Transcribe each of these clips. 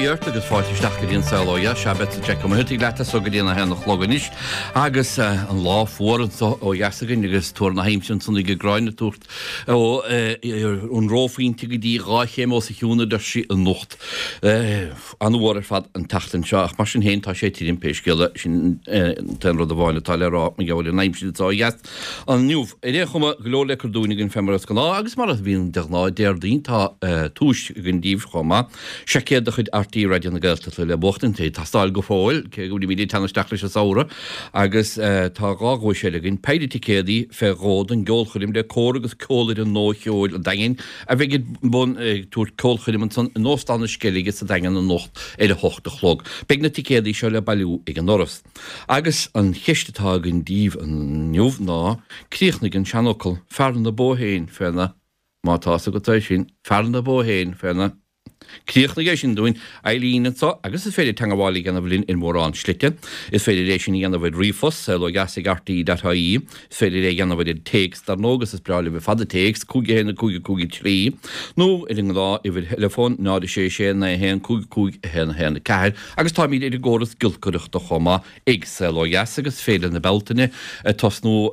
Dia ort agus fáilte isteach go dtí an Saol Ó Dheas. Sea, beadsa Jack Ó Muircheartaigh leat as so go dtí an 1 a chlog anois agus an lá fuar anso ó dheas againn agus tuar na haimsire ansan ag an gCráin ag tabhairt ó an reophointe go dtí 2 chéim os a chionn a deir sí anocht. An-fhuar ar fad an tseachtain seo ach mar sin féin tá sé tirim pé scéal é. Sin an t-aon rud amháin atá le rá mar gheall ar an aimsir anso ó dheas. Inniu, ar aon chuma, go leor le cur dúinn againn fé mar is gnáth, agus mar a bhíonn de ghnáth Déardaoin, tá tomhais againn daoibh chomh maith. Seaicéad de chuid RTÉ Raidió na Gaeltachta le buachtaint, ag teastáil go fóill, cé go bhfuilimid ag teannadh isteach leis an samhradh, agus tá 2 dhuais eile againn, péire ticéadaí fé dhó don gceolchoirm le Cór agus Ceolfhoireann Nua Cheoil an Daingin, a bheidh ag bun ag tabhairt ceolchoirm ansan in Óstán na Sceilge sa Daingean anocht ar a hocht a chlog. Beidh na ticéadaí seo le bailiú ag an ndoras. Agus an cheist atá againn daoibh inniu ná, críochnaigh an seanfhocal, fear na bó féin féna, má tá fhios agat é sin, fear na bó féin féna. Críochnaigh é sin dúinn, Eileen anso, agus is féidir teangabháil a dhéanamh linn ar mhórán slite. Is féidir é sin a dhéanamh ar ríomhphost, saolodheas ag rte.ie. Is féidir é a dhéanamh ar an téacs, dar ndóigh, agus is breá libh ar fad an téacs, 5 1 5 5 3, nó ar an ngnáth-uimhir theileafóin, 0 6 6 9 1 5 5 1 1 4. Agus táimid ar an gcóras giolcaireachta chomh maith ag Saol Ó Dheas agus Féile na Bealtaine ag tosnú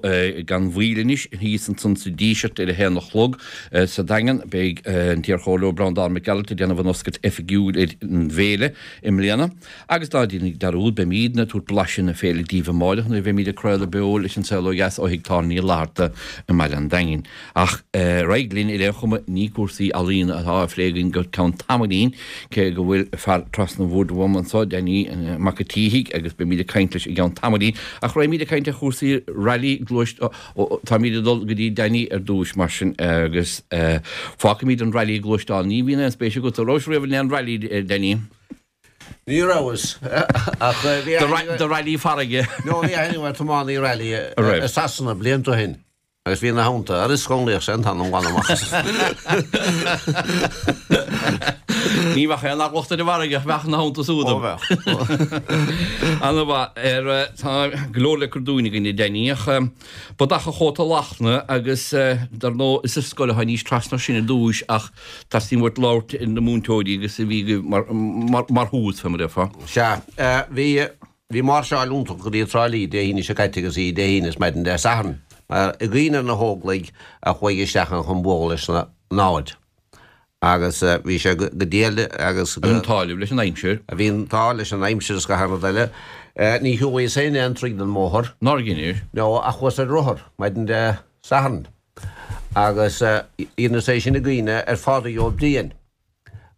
gan mhoill anois thíos ansan sa Díseart ar a haon a chlog sa Daingean. Beidh an t-iarchomhairleoir Breandán Mac Gearailt ag déanamh an oscailt oifigiúil ar an bhféile i mbliana. Agus ná déanaigí dearúd, beimídne ag tabhairt blaiseadh na féile daoibh amáireach nuair a bheimíd ag craoladh beo leis an Saol Ó Dheas ó Thigh Tábhairne Uí Fhlatharta i mBaile an Daingin. Ach ar aghaidh linn ar aon chuma, ní cúrsaí ealaíona atá á phlé againn go ceann tamaillín, cé go bhfuil fear trasna an bhoird uaim anso, Danny Mac an tSíthigh, agus beimid ag caint leis i gceann tamaillín. Ach raghaimid ag caint ar chúrsaí railí gluais-, táimid ag dul go dtí Danny ar dtúis mar sin, agus fágfaimid an railí gluaisteán. Ní bhíonn aon spéis agat, an rabhais riamh in aon railí, Danny? Ní rabhas, ach bhí aithne. Do railí farraige. No, bhí aithne ar tiománaí railí i Sasana blianta ó shin. Agus bhí ina theannta, ar is chonlaíoch sé an t-anam glan amach as. Ní bheadh aon eagla ort ar an bhfarraige ach bheadh ina theannta súd. Ó bheadh. Ana mhaith. Ar, tá go leor le cur dúinn againn a Danny ach bodach an chóta lachtna agus dar ndóigh is ar scoil atá níos trasna sin ar dtúis ach teastaíonn uait labhairt ar na múinteoirí agus a bhí agaibh mar, mar, mar thús fé mar a déarfá. Sea, bhí. Bhí máirseáil iontach go dtí Trá Lí Dé hAoine seo caite agus í Dé hAoine is maidin Dé Sathairn. Mar i gcuimhne ar na hÓglaigh a chuaigh isteach ann chun bualadh leis na namhaid. Agus bhí sé go diail agus go. Bhí an t-ádh libh leis an aimsir. Bhí an t-ádh leis an aimsir is gach aon rud eile. Ní shiúlaíos féin aon troigh den mbóthar. Nár dheinis? No, ach chuas ar rothar maidin Dé Sathairn. Agus dheineas é sin i gcuimhne ar Phádraig Ó Briain.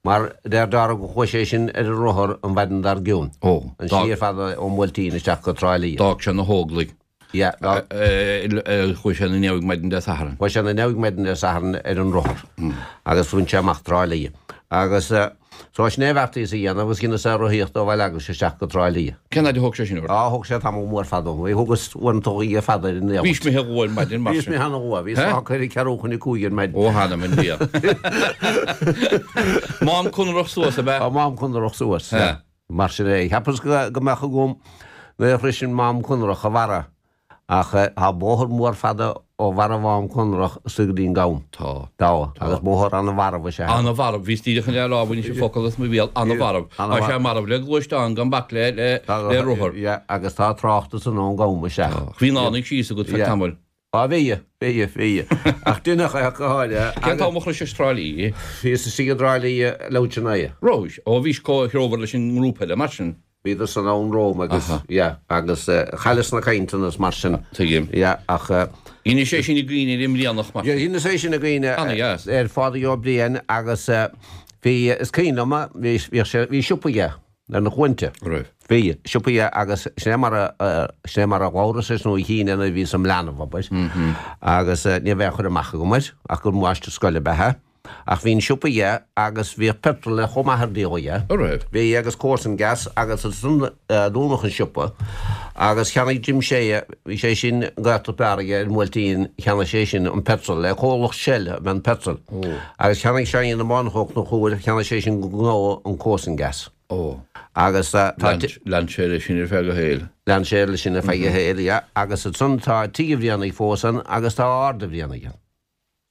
Mar deir Dara go chuaigh sé sin ar a rothar an mhaidin dár gcionn. Ó. An slí ar fad ón mBuailtín isteach go Trá Lí. D'fhág sé na hÓglaigh. Yeah. Chuaigh sé 'na ndiaidh maidin Dé Sathairn. Chuaigh sé 'na ndiaidh maidin Dé Sathairn ar an rothar. Agus bhain sé amach Trá Lí. Agus so sin é a bheartaíos a dhéanamh agus dheineas é rothaíocht ó Bhaile Eaglais isteach go Trá Lí. Cén fhaid a thóg sé sin ort? Á, thóg sé tamall mór fada orm. Thugas uaireanta oíche fada ar an Éabhlóid. Bhís imithe luath ar maidin mar sin. Bhíos imithe ana-luath. Bhíos fágtha ar a ceathrú chun a cúig ar maidin. Ó, th'anam 'na Dhia. Mám Conrach suas, ab ea? Á, Mám Conrach suas, sea. Mar sin é. Cheapas go mbeadh agam nuair a shroisfinn Mám Conrach a bharra. Ach tá bóthar mór fada ó bharra Mhám Conrach suas go dtí an Gam. Tá. Tá. Agus bóthar ana-mharbh is ea é. Ana-mharbh. Bhíos díreach chun é a rá, bhainis an focal as mo bhéal. Ana-mharbh. Tá sé marbh le gluaisteán gan bac le le rothar. Yeah, agus tá trácht ansan ón gCam isteach. Tá. Bhí an fhánaidh síos agat feadh tamaill. Á bhí, bhí, bhí. Ach deineadh é ach go háirithe. Cén t-am a shroisis Trá Lí? Bhíos istigh i dTrá Lí leathuair tar éis a naoi. Rabhais? Ó bhís comhthreomhar leis an ngrúpa eile mar sin. Bhíodar san ann romham agus, yeah, agus chailleas na cainteanna is mar sin. Tuigim. Yeah, ach. Dheinis é sin i gcuimhne ar an mBrianach mar sin. Dheineas é sin i gcuimhne ar Phádraig Ó Briain agus bhí, is cuimhin liom, bhí, bhíodh sé, bhí siopa aige ar na Cuainte. Raibh. Bhí, siopa aige agus sin é mar a, sin é mar a labhras leis nó a chínn é nuair a bhíos im leanbh, abair. Agus ní raibh aon chur amach agam air ach gur máistir scoile ab ea é. Ach bhí an siopa aige agus bhíodh petrol chomh maith ar díol aige. An raibh? Bhí agus Coarsan gas agus ansan dúnadh an siopa agus cheannaigh Jim Shea, bhí sé sin gaolta fear aige ar an mBuailtín, cheannaigh sé sin an petrol le comhlacht Shell a bhí an petrol. Agus cheannaigh Seáinín na Bánach ó Chonchúir, cheannaigh sé sin go gnó an Coarsan gas. Ó. Agus tá. Lean sé leis sin ar feadh a shaoil. Lean sé leis sin ar feadh a shaoil, yeah. Agus ansan tá Tigh an Bhrianaigh fós ann agus tá Ard an Bhrianaigh ann.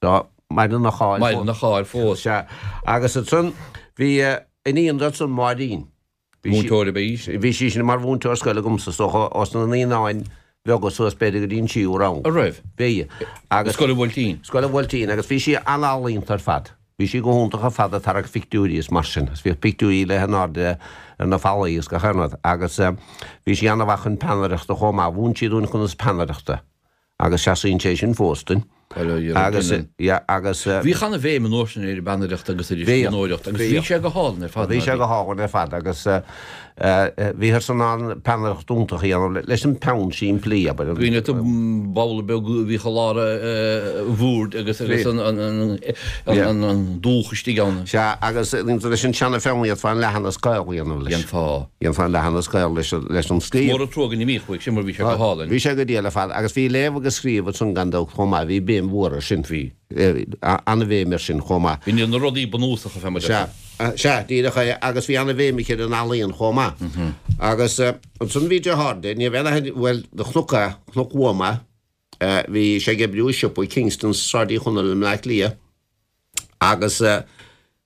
Tá, maireann a cháil fós. Maireann a cháil fós. Sea. Agus ansan bhí. iníon di ansan, Máirín. Múinteoir ab ea í sin? Bhí sí sin mar mhúinteoir scoile agamsa, is dócha, ós na naíonáin bheaga suas b'fhéidir go dtí an tríú rang. An raibh? Bhí. Agus. Scoil an Bhuailtín? Scoil an Bhuailtín, agus bhí sí an-ealaíonta ar fad. Bhí sí go hiontach ar fad ag tarrac phictiúirí is mar sin, agus bhíodh pictiúirí léi in airde ar na fallaí is gach aon rud. Agus bhí sí an-mhaith chun peannaireachta chomh maith. Mhúin sí dúinn conas peannaireachta. Agus seasaíonn sé sin fós duinn. Agus, yeah, agus. Bhíodh an-bhéim an uair sin ar an bpeannaireacht agus ar an scríbhneoireacht agus bhí sé go hálainn ar fad. Bhí sé go hálainn ar fad agus bhíothas in ann peannaireacht iontach a dhéanamh leis an peann simplí, abair. Cuimhin leat an babhla beag a bhíodh i lár an bhoird agus agus an dúch istigh ann. Sea, agus leis an seana-pheann d'fhéadfá an leathanach caol a dhéanamh leis. Dhéanfá. Dhéanfá an leathanach caol leis an scríobh. Mór an trua go n-imíodh uaidh sin mar bhí sé go hálainn. Bhí sé go diail ar fad agus bhí léamh agus scríobh ansan gan dabht chomh maith, bhí béim mhór air sin. Bhí. An-bhéim air sin chomh maith. Bhí na rudaí bunúsacha fé mar a Sea, sea, díreach é agus bhí an-bhéim aici ar an ealaíon chomh maith. Agus ansan bhí deartháir di, ní raibh aon aithne, bhuel, do chonac é, chonac uaim é, bhí sé ag oibriú i siopa Kingston Sráid Uí Chonaill i mBleá Cliath agus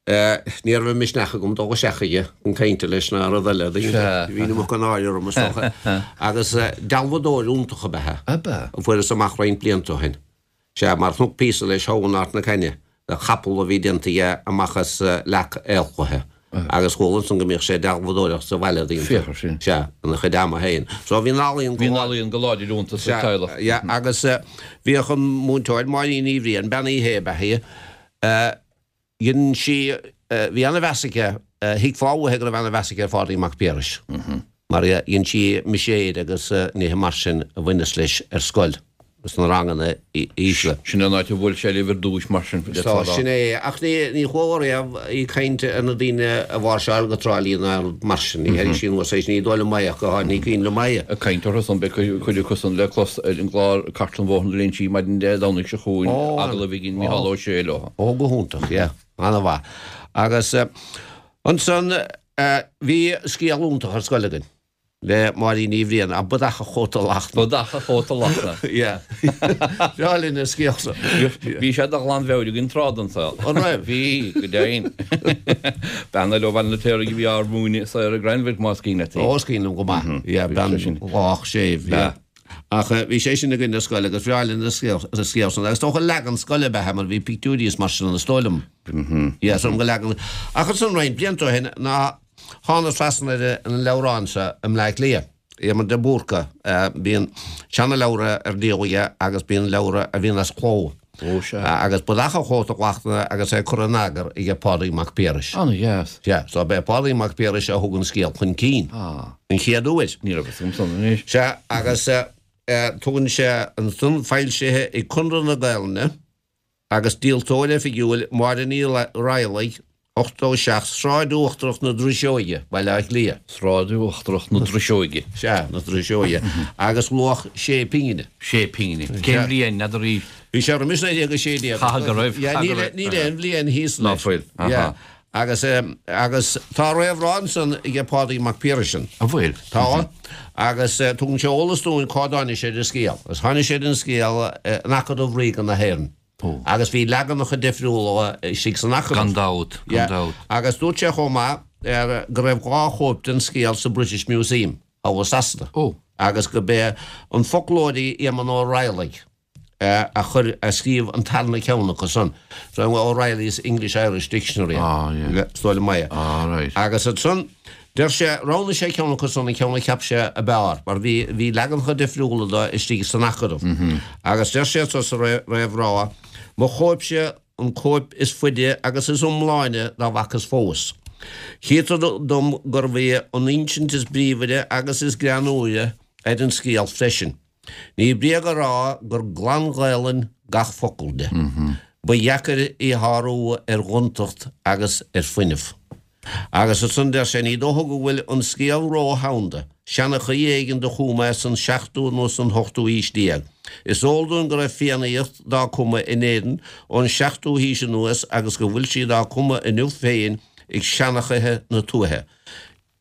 Ní raibh an misneach agam dul isteach chuige chun cainte leis ná rud eile. Bhí an iomarca náire orm is dócha. Agus dealbhadóir iontach ab ea é. Fuaireas amach roinnt blianta ó shin. Sea, mar chonac píosa leis thall in Ard na Caithne de chapall a bhí déanta aige amach as leac aolchloiche. Agus chuala ansan go mbíodh sé ag dealbhadóireacht sa bhaile Féach ar sin. Sea, ina chuid ama féin. So bhí an ealaíon go. Bhí an ealaíon go láidir iontu sa teaghlach. Sea, agus bhíodh an múinteoir, Máirín Ní Bhriain, Bean Uí Shé ab ea í, Dhein sí, bhí ana-mheas aici, thuigfeá uaithi go raibh ana-mheas aici ar Phádraig Mac Piarais, mar dhein sí miséir agus nithe mar sin a bhaineas leis ar scoil sna ranganna ísle. Sin an áit a bhuail sé libh ar dtúis, mar sin, d'fhéadfá a rá. Sin é, ach ní chuala riamh í ag caint ar na daoine a mháirseáil go Trá Lí ná rud mar sin, ní tharraing sí anuas é sin, ní dóigh liom é ach go háirithe, ní cuimhin liom é. Ag caint orthu san, beidh cuid acu san le clos ar an gclár Cartlann Bhóthar na Léinsí maidin Dé Domhnaigh seo chugainn, agallamh a dhein Micheál Ó Sé leo. Ó, go hiontach, yeah, an-mhaith. Agus ansan bhí scéal iontach ar scoil againn le Máirín Ní Bhriain, An Bodach a Chóta Lachtna. Bodach a Chóta Lachtna. Yeah. Breá linn an scéal san. Bhí sé de ghlanmheabhair againn tráth den saol. An raibh? Bhí, go deimhin. Bean eile ó Bhaile an Fheirtéaraigh a bhí ár múineadh, Sarah Granville, más cuimhin leat í. Ó, is cuimhin liom go maith. Yeah, bean lách séimh, yeah. Ach bhí sé sin againn ar scoil agus bhreá linn an scéal san agus dócha leagan scoile ab ea é mar bhí pictiúirí is mar sin ann is dóigh liom. Yeah, so go leagan. Ach ansan roinnt blianta ó shin ná thánas trasna ar an leabhrán seo i mBleá Cliath, Éamonn de Búrca, bíonn seana-leabhra ar díol aige agus bíonn leabhra a bhíonn as cló. Ó sea. Agus Bodach an Chóta Lachtna agus é curtha in eagar aige Pádraig Mac Piarais. Ana-dheas. Sea, so b'é Pádraig Mac Piarais a thug an scéal chun cinn. Ah. An chéad uair. Ní raibh fhios agam san anois. Sea, agus tugann sé ansan foilsithe ag Conradh na Gaelainne agus díoltóir oifigiúil Máire Ní Raghallaigh, 87, Sráid Uachtarach na Driseoige, Baile Átha Cliath. Sráid Uachtarach na Driseoige. Sea, na Driseoige. Agus luach sé pingine. Sé pingine. Cén bhliain, n'fheadar í? Bhí sé roimis 1916. Chaithfeadh go raibh. Yeah, níl aon bhliain thíos leis. Ná fuil. Yeah. Agus, agus tá réamhrá ansan aige Pádraig Mac Piarais. An bhfuil? Tá. Agus tugann sé eolas dúinn cá dtáinig sé ar an scéal. Agus tháinig sé ar an scéal in Acadamh Ríoga na hÉireann. Agus bhí leaganacha difriúla istigh san Acadamh. Gan dabht, gan dabht. Agus dúirt sé chomh maith go raibh 2 chóip den scéal sa British Museum, thall i Sasana. Agus go b'é an foclóirí Éamonn Ó Raghallaigh a chuir, a scríobh an tarna ceann acu san. So O'Reilly's English-Irish Dictionary. Is dóigh liom é. Agus ansan Deir sé, roghnaigh sé ceann acu san, an ceann a cheap sé a b'fhearr, mar bhí, bhí leaganacha difriúla de istigh san Acadamh. Agus deir sé anso sa réamhrá, Mo chóipse an cóip is faide agus is iomláine dá bhfacas fós. Chítear dom gurbh í an insint is bríomhaire agus is greannmhaire ar an scéal freisin. Ní bréag a rá gur glan-Ghaelainn gach focal de. Ba dheacair í shárú ar ghontacht agus ar fuinneamh. Agus ansan deir sé, Ní dócha go bhfuil an scéal ró-shanda, seanchaí éigin do chum é san seachtú nó san ochtú haois déag. Is eol dúinn go raibh Fiannaíocht dá cumadh in Éirinn ón seachtú haois anuas agus go bhfuil sí dá cumadh inniu féin ag seanchaithe na tuaithe.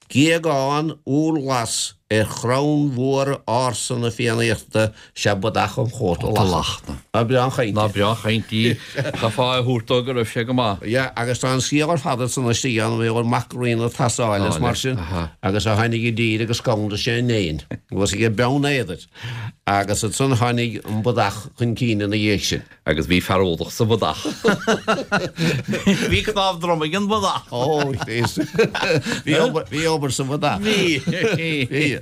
Géagán úr ghlas. ar chrann mhór ársa na Fiannaíochta 'sea bodach an chóta lachtna. Ná breá an chaint í. Ná breá an chaint í. Tá fáth a thabhairt dó go raibh sé go maith. Yeah, agus tá an scéal ar fad ansan istigh ann, bhí an mac rí na Tasáile is mar sin, agus a tháinig i dtír agus scanraigh sé an éin, agus aige Beann Éadair, agus ansan tháinig an bodach chun cinn ina dhiaidh sin. Agus bhí fear eolach sa bhodach. Bhí cnámh droma ag an bhodach. Ó, bhí obair, bhí obair sa bhodach. Bhí. Bhí.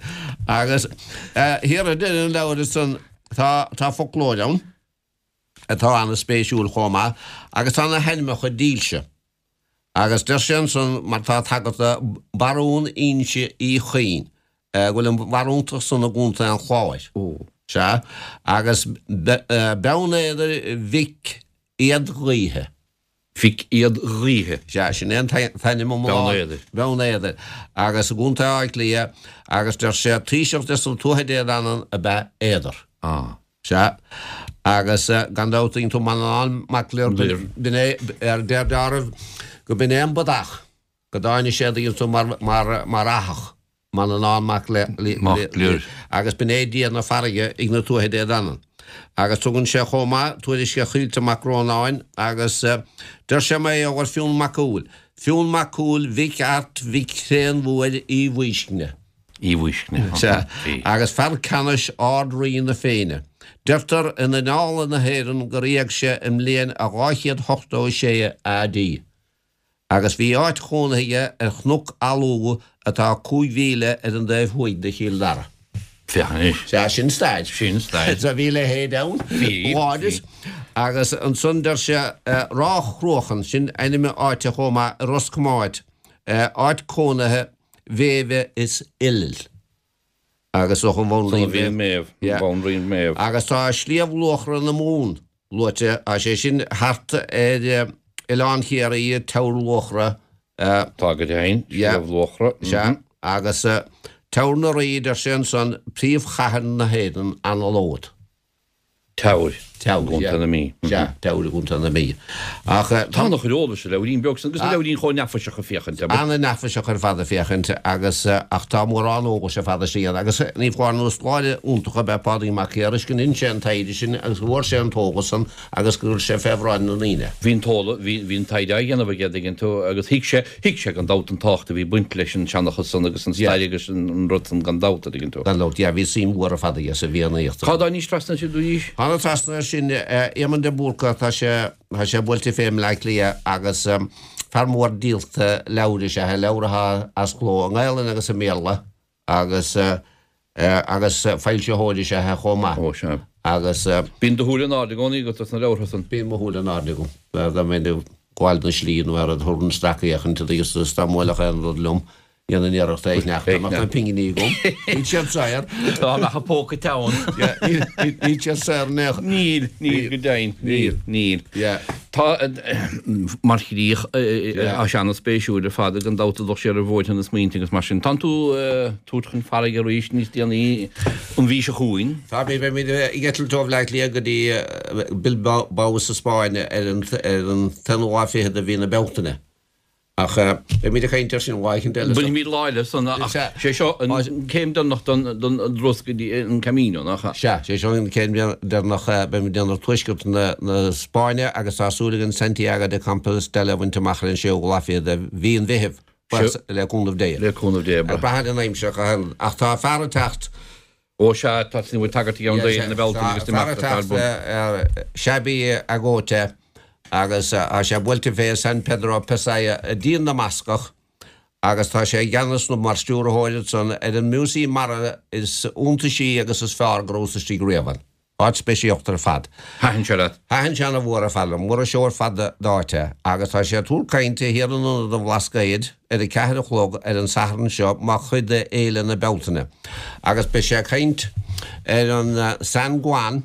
Agus thiar ag deireadh an leabhair ansan, tá, tá foclóir ann atá an-spéisiúil chomh maith agus tá na hainmneacha dílse. Agus deir sé ansan, mar tá tagartha Barún Inse Uí Chuinn, go bhfuil an bharúntacht san i gContae an Chláir. Sea, agus Beann Éadair Mhic Éadghaoithe. Mhic Éadghaoithe. Sea, sin é an t-ainm iomlán. Beann Éadair. Beann Éadair. Agus i gContae Átha Cliath, agus deir sé, taoiseach de sna Tuatha Dé Danann ab ea Éadar. Ah. Sea, agus gan dabht tuigeann tú Manannán Mac Lir, b'in é, ar deir go b'in é an bodach, go dtáinig sé tuigeann tú mar, mar, mar fhathach, Manannán Mac Lir, agus b'in é dia na farraige ag na Tuatha Dé Danann. Agus tugann sé chomh maith tuairisc ar Chaoilte Mac Rónáin agus deir sé mar gheall ar Fionn Mac Cumhaill, Fionn Mac Cumhaill mhic Airt mhic Thréanmhuaire Uí Bhaoiscne. Uí Bhaoiscne. Sea, agus fear ceannais Ard-Rí na Féinne. Deirtear in Annála na hÉireann gur éag sé i mbliain a 286 AD. Agus bhí áit chónaithe aige ar Chnoc Almhua atá 5 mhíle ar an dtaobh thuaidh de Chill Dara. Féach anois. Sea, sin stair. Sin stair. Sea, bhí a leithéid ann. Bhí, bhí. Agus ansan deir sé Ráth Chruachan, sin ainm áite chomh maith i Ros Comáin, áit cónaithe Mhéabha is Oilill. Agus ó an Bhanríon Méabh. Yeah. Banríon Méabh. Agus tá Sliabh Luachra na Mumhan luaite, tá sé sin thart ar Oileán Chiarraí, Teamhair Luachra. Tá go deimhin, Sliabh Luachra. Sea, agus Teamhair na Rí, deir sé ansan, príomhchathair na hÉireann anallód. Teamhair. Teamhair, yeah. I gContae na Mí. Sea, Teamhair i gContae na Mí. Ach tá an-chuid eolais sa leabhairín beag san, agus an leabhairín chomh neafaiseach ag féachaint air. An-neafaiseach ar fad ag féachaint agus, ach tá mórán eolais ar fad istigh ann. Agus ní foláir nó scoláire iontach ab ea Pádraig Mac Piarais go ndein sé an taighde sin agus go bhfuair sé an t-eolas san agus gur chuir sé fé bhráid na ndaoine. Bhí an t-eolas, bhí, bhí an taighde á dhéanamh aige, an dtuigeann tú, agus thuig sé, Thuig sé gan dabht an tábhacht a bhí ag baint leis an seanchas san agus an stair agus an rud san gan dabht, an dtuigeann tú. Gan dabht, yeah, bhí suim mhór ar fad aige sa bhFiannaíocht. Cá dtáinig trasna sin arís? Tháinig trasna air sin, Éamonn de Búrca, tá sé, tá sé buailte fé i mBleá Cliath agus fear mór díolta leabhar is ea é, leabhar atá as cló i nGaelainn agus i mBéarla. Agus, agus foilsitheoir is ea é chomh maith. Ó, sea. Agus. Bíonn do shúil in airde i gcónaí agat sna leabhartha san. Bíonn mo shúil in airde agam. Dá mbeinn ag gabháil na slí nó ar rud thabharfainn sracfhéachaint agus dá mbuailfeadh aon rud liom, dhéanfainn iarracht é a shneachta, dá mbeadh na pinginí agam. Níl siad saor. Dá mbeadh an póca teann. Níl siad saor in aon chor. Níl, níl go deimhin. Níl, níl. Yeah. Tá, mar chríoch, tá sé an-spéisiúil ar fad, gan dabht, ag dul siar ar bhóithre na smaointe agus mar sin. Tánn tú ag tabhairt chun farraige arís níos déanaí an mhí seo chugainn. Tá, beimid ag eitilt ó Bhleá Cliath go dtí Bilbao sa Spáinn ar an t-aonú lá fichead de mhí na Bealtaine. Ach beimid ag caint air sin lá éicint eile. Bainfimid lá eile san, ach sé seo an céim deireanach den dturas go dtí an Camino, nach ea? Sea, sé seo an céim deireanach, beimid ag déanamh tuaisceart na Spáinne agus tá súil againn Santiago de Compostela a bhaint amach ar an séú lá fichead de mhí an Mheithimh, le cúnamh Dé. Le cúnamh Dé. Ag brath ar an aimsir, ach tá fear ag teacht. Ó sea, tá tú ag tagairt i gceann d'Fhéile na Bealtaine agus d'imeachtaí atá ar bun. Xabi Agote agus tá sé buailte fé San Pedro Pasaia i dTír na mBascach agus tá sé i gceannas nó mar stiúrthóir ansan ar an Músaem Mara is iontaisí agus is fearr go rabhas istigh riamh ann. Áit speisialta ar fad. Thaitin sé leat? Thaitin sé ana mhór ar fad liom. Mura-seó ar fad d'áit é. Agus tá sé ag tabhairt cainte thiar in Ionad an Bhlascaoid ar a ceathair a chlog ar an Satharn seo mar chuid de Fhéile na Bealtaine. Agus beidh sé ag caint ar an San Juan.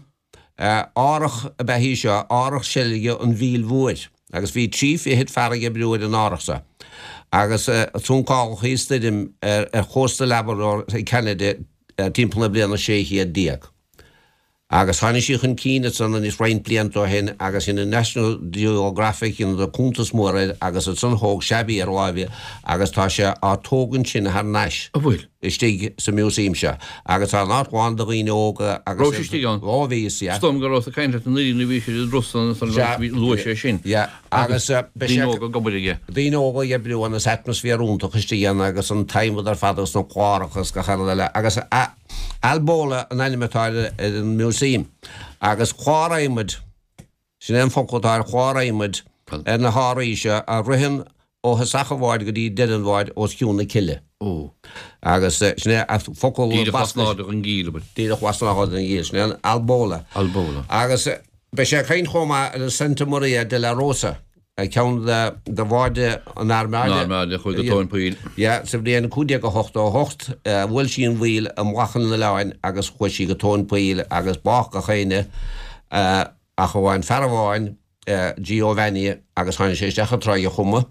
Árthach ab ea í seo, árthach seilge an Mhíl Mhóir. Agus bhí trí fichid fear ag oibriú ar an árthach seo. Agus suncáladh í i stoirm ar chósta Labrador i gCeanada timpeall na bliana 1600. Agus tháinig sí chun cinn ansan anois roinnt blianta ó shin agus dhein an National Geographic dheineadar cuntas mór air agus ansan thóg Seabaí ar láimh í agus tá sé á tógaint sin thar n-ais An bhfuil? istigh sa museum seo agus tá an áit lán de dhaoine óga agus Raibh sé istigh ann? Ó bhí, sea. Is dóigh liom go rabhas ag caint leat anuraidh nuair a bhí sé ar an dturas san ansan Sea. luaigh sé sin. Yeah. Agus beidh sé. Daoine óga ag obair aige. Daoine óga ag oibriú ann is atmaisféar iontach istigh ann agus an t-adhmad ar fad agus na cláracha agus gach uile rud eile agus a Albola an ainm atá ar an museum agus clár adhmaid, sin é an focal atá ar chlár adhmaid ar na hárthaí seo a ritheann ó thosach an bháid go dtí deireadh an bháid os cionn na cille. Agus sin é an focal Díreach lasnairde den gcill, abair. Díreach lasnairde den gcill, sin é an Albola. Albola. Agus beidh sé ag caint chomh maith ar an Santa Maria de la Rosa. Ceann de bháid an Armada. An Armada a chuaigh go tóin poill. Yeah, sa bhliain 1588, bhuail sí an mhaoil i mullach an oileáin agus chuaigh sí go tóin poill agus bádh gach éinne ach amháin fear amháin, Giovanni, agus tháinig sé isteach i dTráigh a' Chuma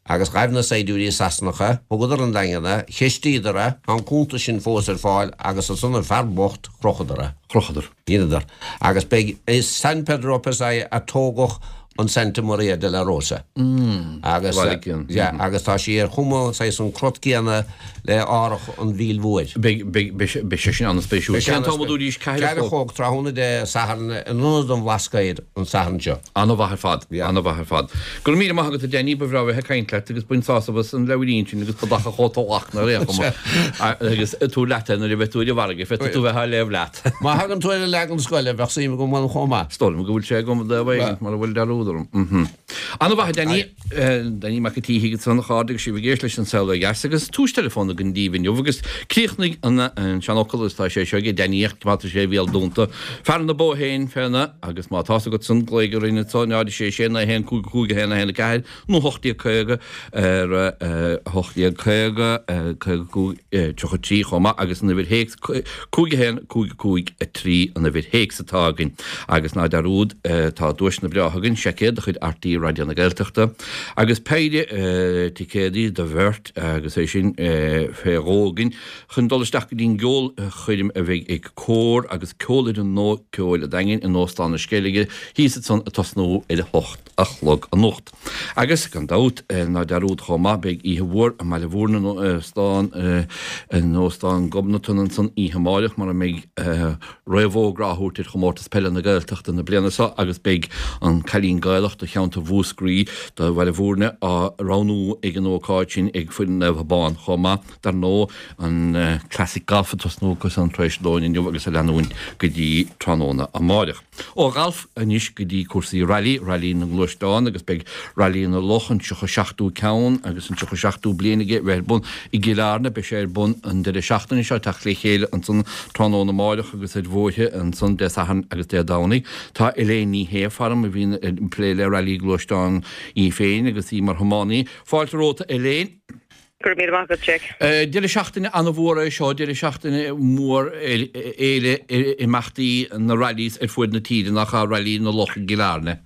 agus ghaibh na saighdiúirí Sasanacha, thugadar 'on Daingean é, cheistíodar é, tá an cuntas sin fós ar fáil agus ansan an fear bocht, chrochadar é. Chrochadar. Dheineadar. Agus b'é i San Pedro Pasaia a tógadh an Santa Maria de la Rosa. Agus, yeah, agus tá sí ar chuma saghas an crot céanna le árthach an Mhíl Mhóir. Beidh, beidh, beidh sé sin an-spéisiúil. Cén t-am a dúraís? Ceathair a chlog tráthnóna Dé Sathairn in Ionad an Bhlascaoid an Satharn seo. An-mhaith ar fad, an-mhaith ar fad. Go raibh míle maith agat a Danny, ba bhreá bheith ag caint leat agus bain sásamh as an leabhairín sin agus ba dach a chóta lachna ar aon chuma agus tabhair leat é nuair a bheidh tú ar an bhfarraige, féadfaidh tú bheith á léamh leat. Má thagann tú ar an leagan scoile, bheadh suim agam ann chomh maith. Is dóigh liom go bhfuil sé agam i dtaobh éigin, mura bhfuil dearúd orm. An-mhaith a Danny. Danny Mac an tSíthigh ansan a chairde agus sibh ag éisteacht leis An Saol Ó Dheas agus tús teileafóin againn daoibh inniu agus críochnaigh an seanfhocal agus tá sé seo ag Danny ach coimeádfaidh sé a bhéal dúnta. Fear na bó féin féna agus má tá's agat san glaoigh orainn anso 0 6 6 9 1 5 5 1 1 4 nó 1850 ar 1850 55 33 chomh maith agus an uimhir théacs 5 1 5 5 3 an uimhir théacs atá againn. Agus ná dearúd, tá duaiseanna breátha againn, seaicéad de chuid RTÉ Raidió na Gaeltachta agus péire ticéadaí do bheirt agus é sin fé dhó againn chun dul isteach go dtí an gceolchoirm a bheidh ag Cór agus Ceolfhoireann Nua Ceoil an Daingin in Óstán na Sceilge thíos ansan ag tosnú ar a hocht a chlog anocht. Agus, gan dabht, ná dearúd chomh maith, beidh oíche mhór i mBaile Mhúirne in Óstán, in Óstán Ghobnatan ansan oíche amáireach mar a mbeidh réamhfhógra á thabhairt ar Chomórtas Peile na Gaeltachta na bliana seo agus beidh an Cailín Gaelach do cheantar Mhúscraí do Bhaile Mhúirne á roghnú ag an ócáid sin ag foireann Naomh Abán chomh maith. Dar ndóigh, an Classic Golf ag tosnú acu san tar éis lóin inniu agus ag leanúint go dtí tráthnóna amáireach. Ó ghalf anois go dtí cúrsaí railí, Railí na nGluaisteán agus beidh Railí na Loch, an 37ú ceann agus an 37ú bliain aige a bheith ar bun i gCill Airne. Beidh sé ar bun an deireadh seachtaine seo, teacht le chéile ansan tráthnóna amáireach agus ar bhóithre ansan Dé Sathairn agus Dé Domhnaigh. Tá Elaine Ní Shé faram a bhíonn ag plé le railí gluaisteán í féin agus í mar thiománaí. Fáilte romhat a Elaine. Go raibh míle maith agat, Jack. Deireadh seachtaine an-mhór é seo, deireadh seachtaine mór fhéile imeachtaí na rallies ar fuaid na tíre, nach ea, Railí na Loch i gCill Airne.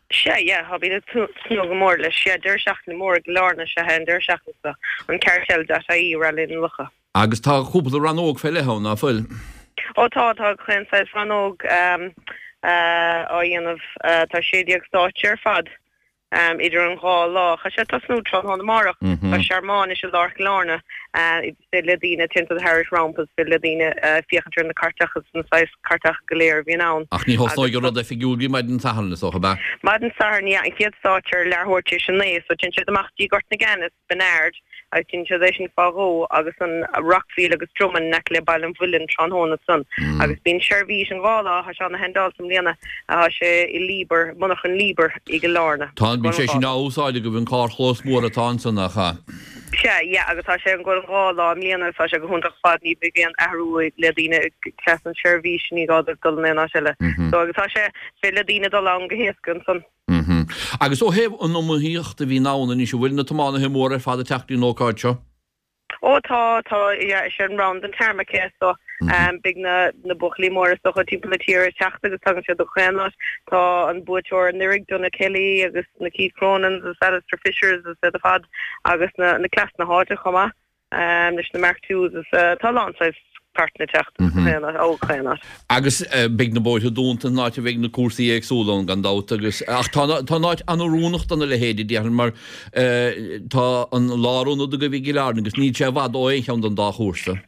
Sea, yeah, tá bíonn ag tnúth go mór leis. Yeah, deireadh seachtaine mór i gCill Airne is ea é an deireadh seachtaine seo, an Cartel dot ie, Railí na Locha. Agus tá cúpla rannóg fé leith ann, ná fuil? Ó tá, tá chaon saghas rannóg á dhéanamh. Tá 16 stáitse ar fad. Idir an dhá lá, tá sé ag tosnú tráthnóna amárach. Tá searmanais i lár Chill Airne. Is féidir le daoine, téann siad thairis rompu, is féidir le daoine féachaint ar na cairteacha agus na saghas cairteacha go léir a bhíonn ann. Ach ní thosnóidh an rud oifigiúil go dtí maidin Sathairn, is dócha, ab ea? Maidin Sathairn, yeah. An chéad stáitse ar leathuair tar éis a naoi, so téann siad amach dtí Gort na gCeann is Bennard agus déanann siad é sin fá dhó agus an Rockfield agus Dromainn in aice le Baile an Mhuilinn tráthnóna ansan agus bíonn seirbhís an dhá lá, tá sé ana shendáilte i mbliana, tá sé i Liebherr, monarchan Liebherr i gCill Airne. Tá, bíonn sé sin á úsáid agaibh, an carrchlós mór atá ansan, nach ea? Sea, yeah, agus tá sé ag goil an dhá lá i mbliana agus tá sé go hiontach ar fad, ní bheidh aon athrú le daoine trasna an seirbhís, ní gá dóibh dul in aon áit eile. So agus tá sé, is féidir le daoine dul ann go héasca ansan. Agus ó thaobh an iomaíocht a bhíonn ann anois, an bhfuil na tiománaithe móra ar fad ag teacht don ócáid seo? Ó tá, tá, yeah, is é an Round an Tarmac é so beidh na, na buachaillí móra is dócha timpeall na tíre ag teacht agus tagann siad ó chaon áit. Tá an buaiteoir anuraidh, Donagh Kelly agus na Keith Cronins agus Alistair Fishers agus iad ar fad agus na, na cleas na háite chomh maith leis na Mark Twos is tá a lán saghas. Cartanna ag teacht as chaon áit, ó chaon áit. Agus beidh na bóithre dúnta an áit a bheidh na cúrsaí éagsúla ann gan dabht agus, ach tá, tá an áit an-oiriúnach do na leithéidí déarfainn mar tá an lárionad agaibh i gCill Airne agus níl sé i bhfad ó aon cheann den dá chúrsa.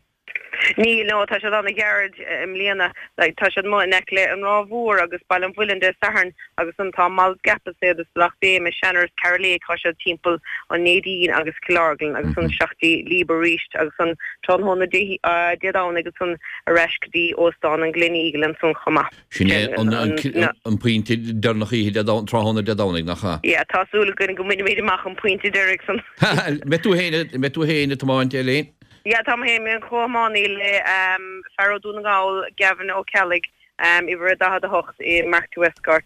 Níl, no, tá siad an-ghairid i mbliana. Like, tá siad amuigh in aice le An Ráth Mhór agus Baile an Mhuilinn Dé Sathairn agus ansan tá Molls Gap is iad is Bealach Béim is Seaner is Caragh Lake, tá siad timpeall an Neidín agus Cill Orglan agus ansan isteach dtí Leaba arís agus ansan tráthnóna Dé Dé Domhnaigh agus ansan ar ais go dtí Óstán an Gleneagle ansan chomh maith. Sin é an pointe deireanach oíche Dé Domhnaigh, tráthnóna Dé Domhnaigh, nach ea? Yeah, tá súil againn go mbainfimid amach an pointe deiridh san. Mbeidh tú féin, mbeidh tú féin ag tiomáint, Elaine? Yeah, tá mé féin, mé im chomhthiománaí le fear ó Dún na nGall, Gavin Ó Ceallaigh, uimhir a 48 i Mark II Escort.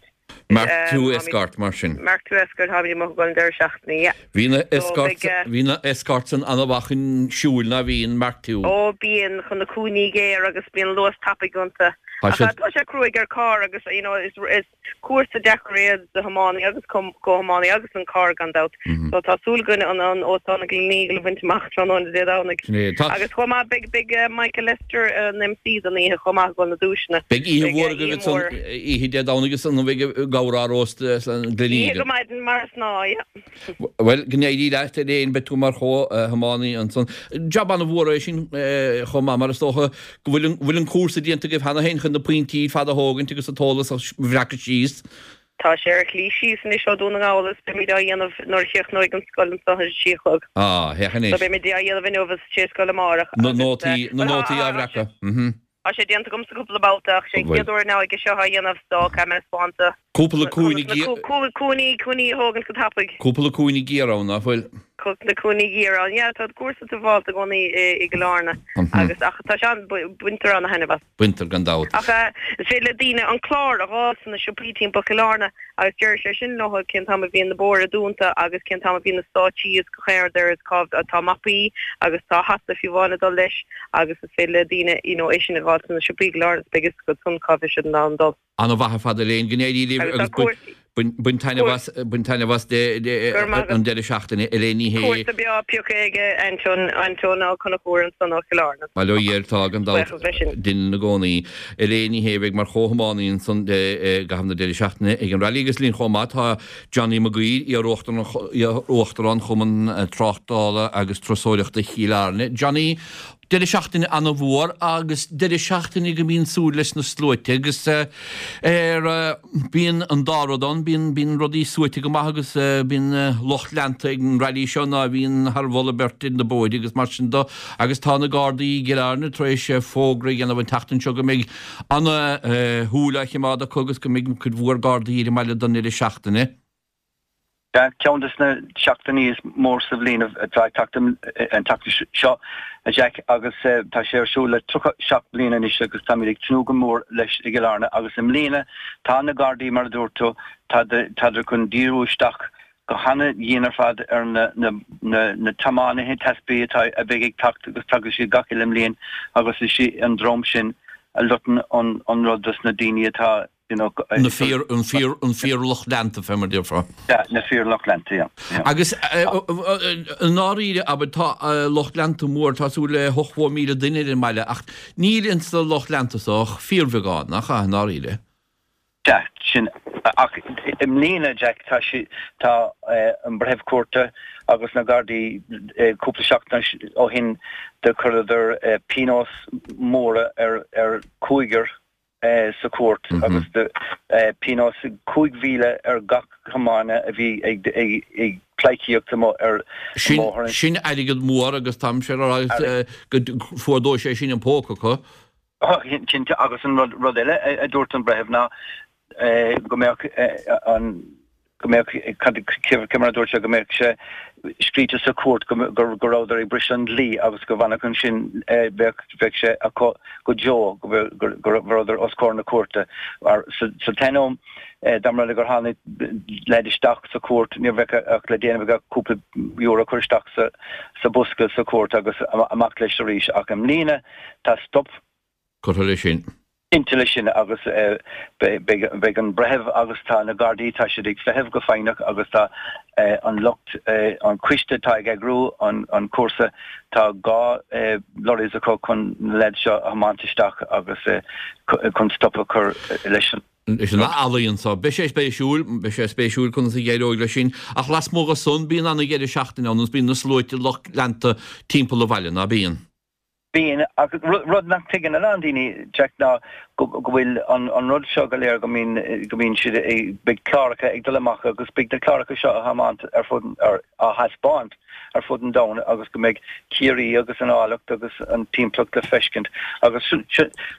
Mark II Escort, mar sin. Mark II Escort, táimid amuigh ag dul an deireadh seachtaine, yeah. Bhí na Escorts, bhí na Escorts san an-mhaith chun siúil ná bhíonn Mark II? Ó, bíonn, chun na cúinní géar agus bíonn luas tapaidh iontu. Ach tá sé cruaidh ar carr agus, you know, is, is. Cúrsa deacair é do thiománaí agus comhthiománaí agus an carr gan dabht. So tá súil againn an Óstán an Gleneagle a bhaint amach tráthnóna Dé Domhnaigh. Agus chomh maith beidh beidh Michael Lester an MC don oíche chomh maith ag dul na duaiseanna. Beidh oíche mhór agaibh ansan oíche Dé Domhnaigh is an bheidh ag amhrán san Gleneagle. Oíche go maidin mar is gnáth, yeah. Bhuel, go n-éirí leat Elaine, beidh tú mar chomh-thiománaí ansan. Jab an-mhór é sin chomh maith mar is dócha go bhfuil an, bhfuil an cúrsa déanta agaibh cheana féin chun na pointí ar fad a thógaint agus an t-eolas a bhreacadh síos. Tá sé ar a shlí síos anois ó Dún na nGall is beimid á dhéanamh nuair a chríochnóidh an scoil anso ar a sé a chlog. Ah, féach anois. So beimid á dhéanamh inniu is tar éis scoil amárach Na agus, nótaí, na nótaí á bhreacadh. Mhm. Tá sé déanta agamsa cúpla babhta ach sé an chéad uair now aige seo á dhéanamh so caithfidh mé spáint do. Cúpla cúinne cúinní cúinní a thógaint go tapaidh. Cúpla cúinne géar ann, ná fuil? Cúpla cúinní géar ann, yeah, tá cúrsa dubhálta i gcónaí i gCill Airne agus ach tá sé an, baintear ana-thaitneamh as. Baintear gan dabht. Ach is féidir le daoine an clár a dh'fháil sna siopaí timpeall Chill Airne agus déarfaidh sé sin leo cén t-am a bhíonn na bóithre dúnta agus cén t-am a bhíonn na stáitsí is gach aon rud ar is cá tá mapaí agus tá hata fiú amháin ag dul leis agus is féidir le daoine you know é sin a dh'fháil sna siopaí i gCill Airne is beidh fhios acu ansan cá bhfuil siad in ann dul. Ana-mhaith ar fad Elaine, go n-éirí libh Agus tá agus cúrsaí. bain taitneamh as, bain taitneamh as an deireadh seachtaine, Elaine Ní Shé. Cúrsa breá pioctha ag Anton, Anton Ó Conchúir ansan ó Chill Airne. Bail ó Dhia air, tá gan dabht, Buíochas leis sin. duine ina gcónaí. Elaine Ní Shé a bheidh mar chomhthiománaí ansan i gcaitheamh na deireadh seachtaine ag an Rally agus linn chomh maith tá Johnny Mac Guidhir, iar-uachtarán Chumann Tráchtála agus Turasóireachta Chill Airne. Johnny, Deireadh seachtaine ana-mhór agus deireadh seachtaine go mbíonn súil leis na sluaite agus ar bíonn an dá rud ann, bíonn bíonn rudaí suaite go maith agus bíonn lucht leanta ag an Rally seo ná bhíonn thar mholadh beirte ar na bóithre agus mar sin do agus tá na Gardaí i gCill Airne tar éis fógra a dhéanamh an tseachtain seo go mbeidh ana shúil á chimeád acu agus go mbeidh cuid mhór Gardaí ar an mbaile don deireadh seachtaine. Sea, ceann de na seachtainí is mór sa bhliain atá ag teacht an tseachtain seo, a Jack, agus tá sé ar siúl le 37 bliain anois agus táimid ag tnúth go mór leis i gCill Airne agus i mbliana tá na Gardaí, mar a dúirt tú, tádar chun díriú isteach go hana-dhian ar fad ar na tiománaithe tacsaí atá a bheidh ag teacht agus tagann siad gach uile mbliain agus is é an dream sin a loiteann an rud dos na daoine atá you know, Na fíor, an fíor, an fíorlucht leanta, fé mar déarfá. Yeah, na fíorlucht leanta, yeah, yeah. Agus i ndáiríre, abair, tá lucht leanta mór, tá súil le 80,000 duine ar an mbaile, ach níl ins na lucht leanta so ach fíorbheagán, nach ea, i ndáiríre? Yeah, sin, ach i mbliana, Jack, tá sé, tá an breitheamh cúirte agus na Gardaí cúpla seachtain ó shin do chuireadar pionós móra ar, ar cúigear sa chúirt agus pionós 5,000 ar gach tiománaí a bhí ag pleidhcíocht amuigh ar an mbóthar. Sin airgead mór agus táimse ag rá go fuardóidh sé sin an póca acu. Cinnte agus an rud eile a dúirt an breitheamh ná go mbeadh an go mbeadh, cé mar a dúirt sé, go mbeadh sé scríte sa chúirt go go rabhadar ag briseadh an dlí agus go bhfanfadh ansin, bheadh bheadh sé acu go deo go go rabhadar os comhair na cúirte. Mar sa t-ainneoin dá mba rud é gur tháinig leaid isteach sa chúirt ní bheadh ach le déanamh aige cúpla euro a chur isteach sa sa bosca sa chúirt agus amach leis arís. Ach i mbliana tá stop curtha leis sin. Cinnte leis sin agus beidh an breitheamh agus tá na Gardaí, tá siad ag feitheamh go foighneach agus tá an lucht, an coiste atá ag eagrú an cúrsa, tá 2 lorries acu chun na leaids seo a thiomáint isteach agus chun stop a chur leis an. leis an ealaíon seo. Beidh sé spéisiúil, beidh sé spéisiúil conas a d'éireoidh leis sin ach lasmuigh de san bíonn an-dheireadh seachtaine ann agus bíonn na sluaite lucht leanta timpeall an bhaile, ná bíonn? Bíonn, ach rud nach dtuigeann a lán daoine, Jack, ná go bhfuil an rud seo go léir, go mbíonn, go mbíonn siad ag, beidh cláracha ag dul amach agus beidh na cláracha seo á thiomáint ar fud, á thaispeáint ar fud an domhain agus go mbeidh Ciarraí agus an áilleacht agus an timpeallacht le feiscint agus sin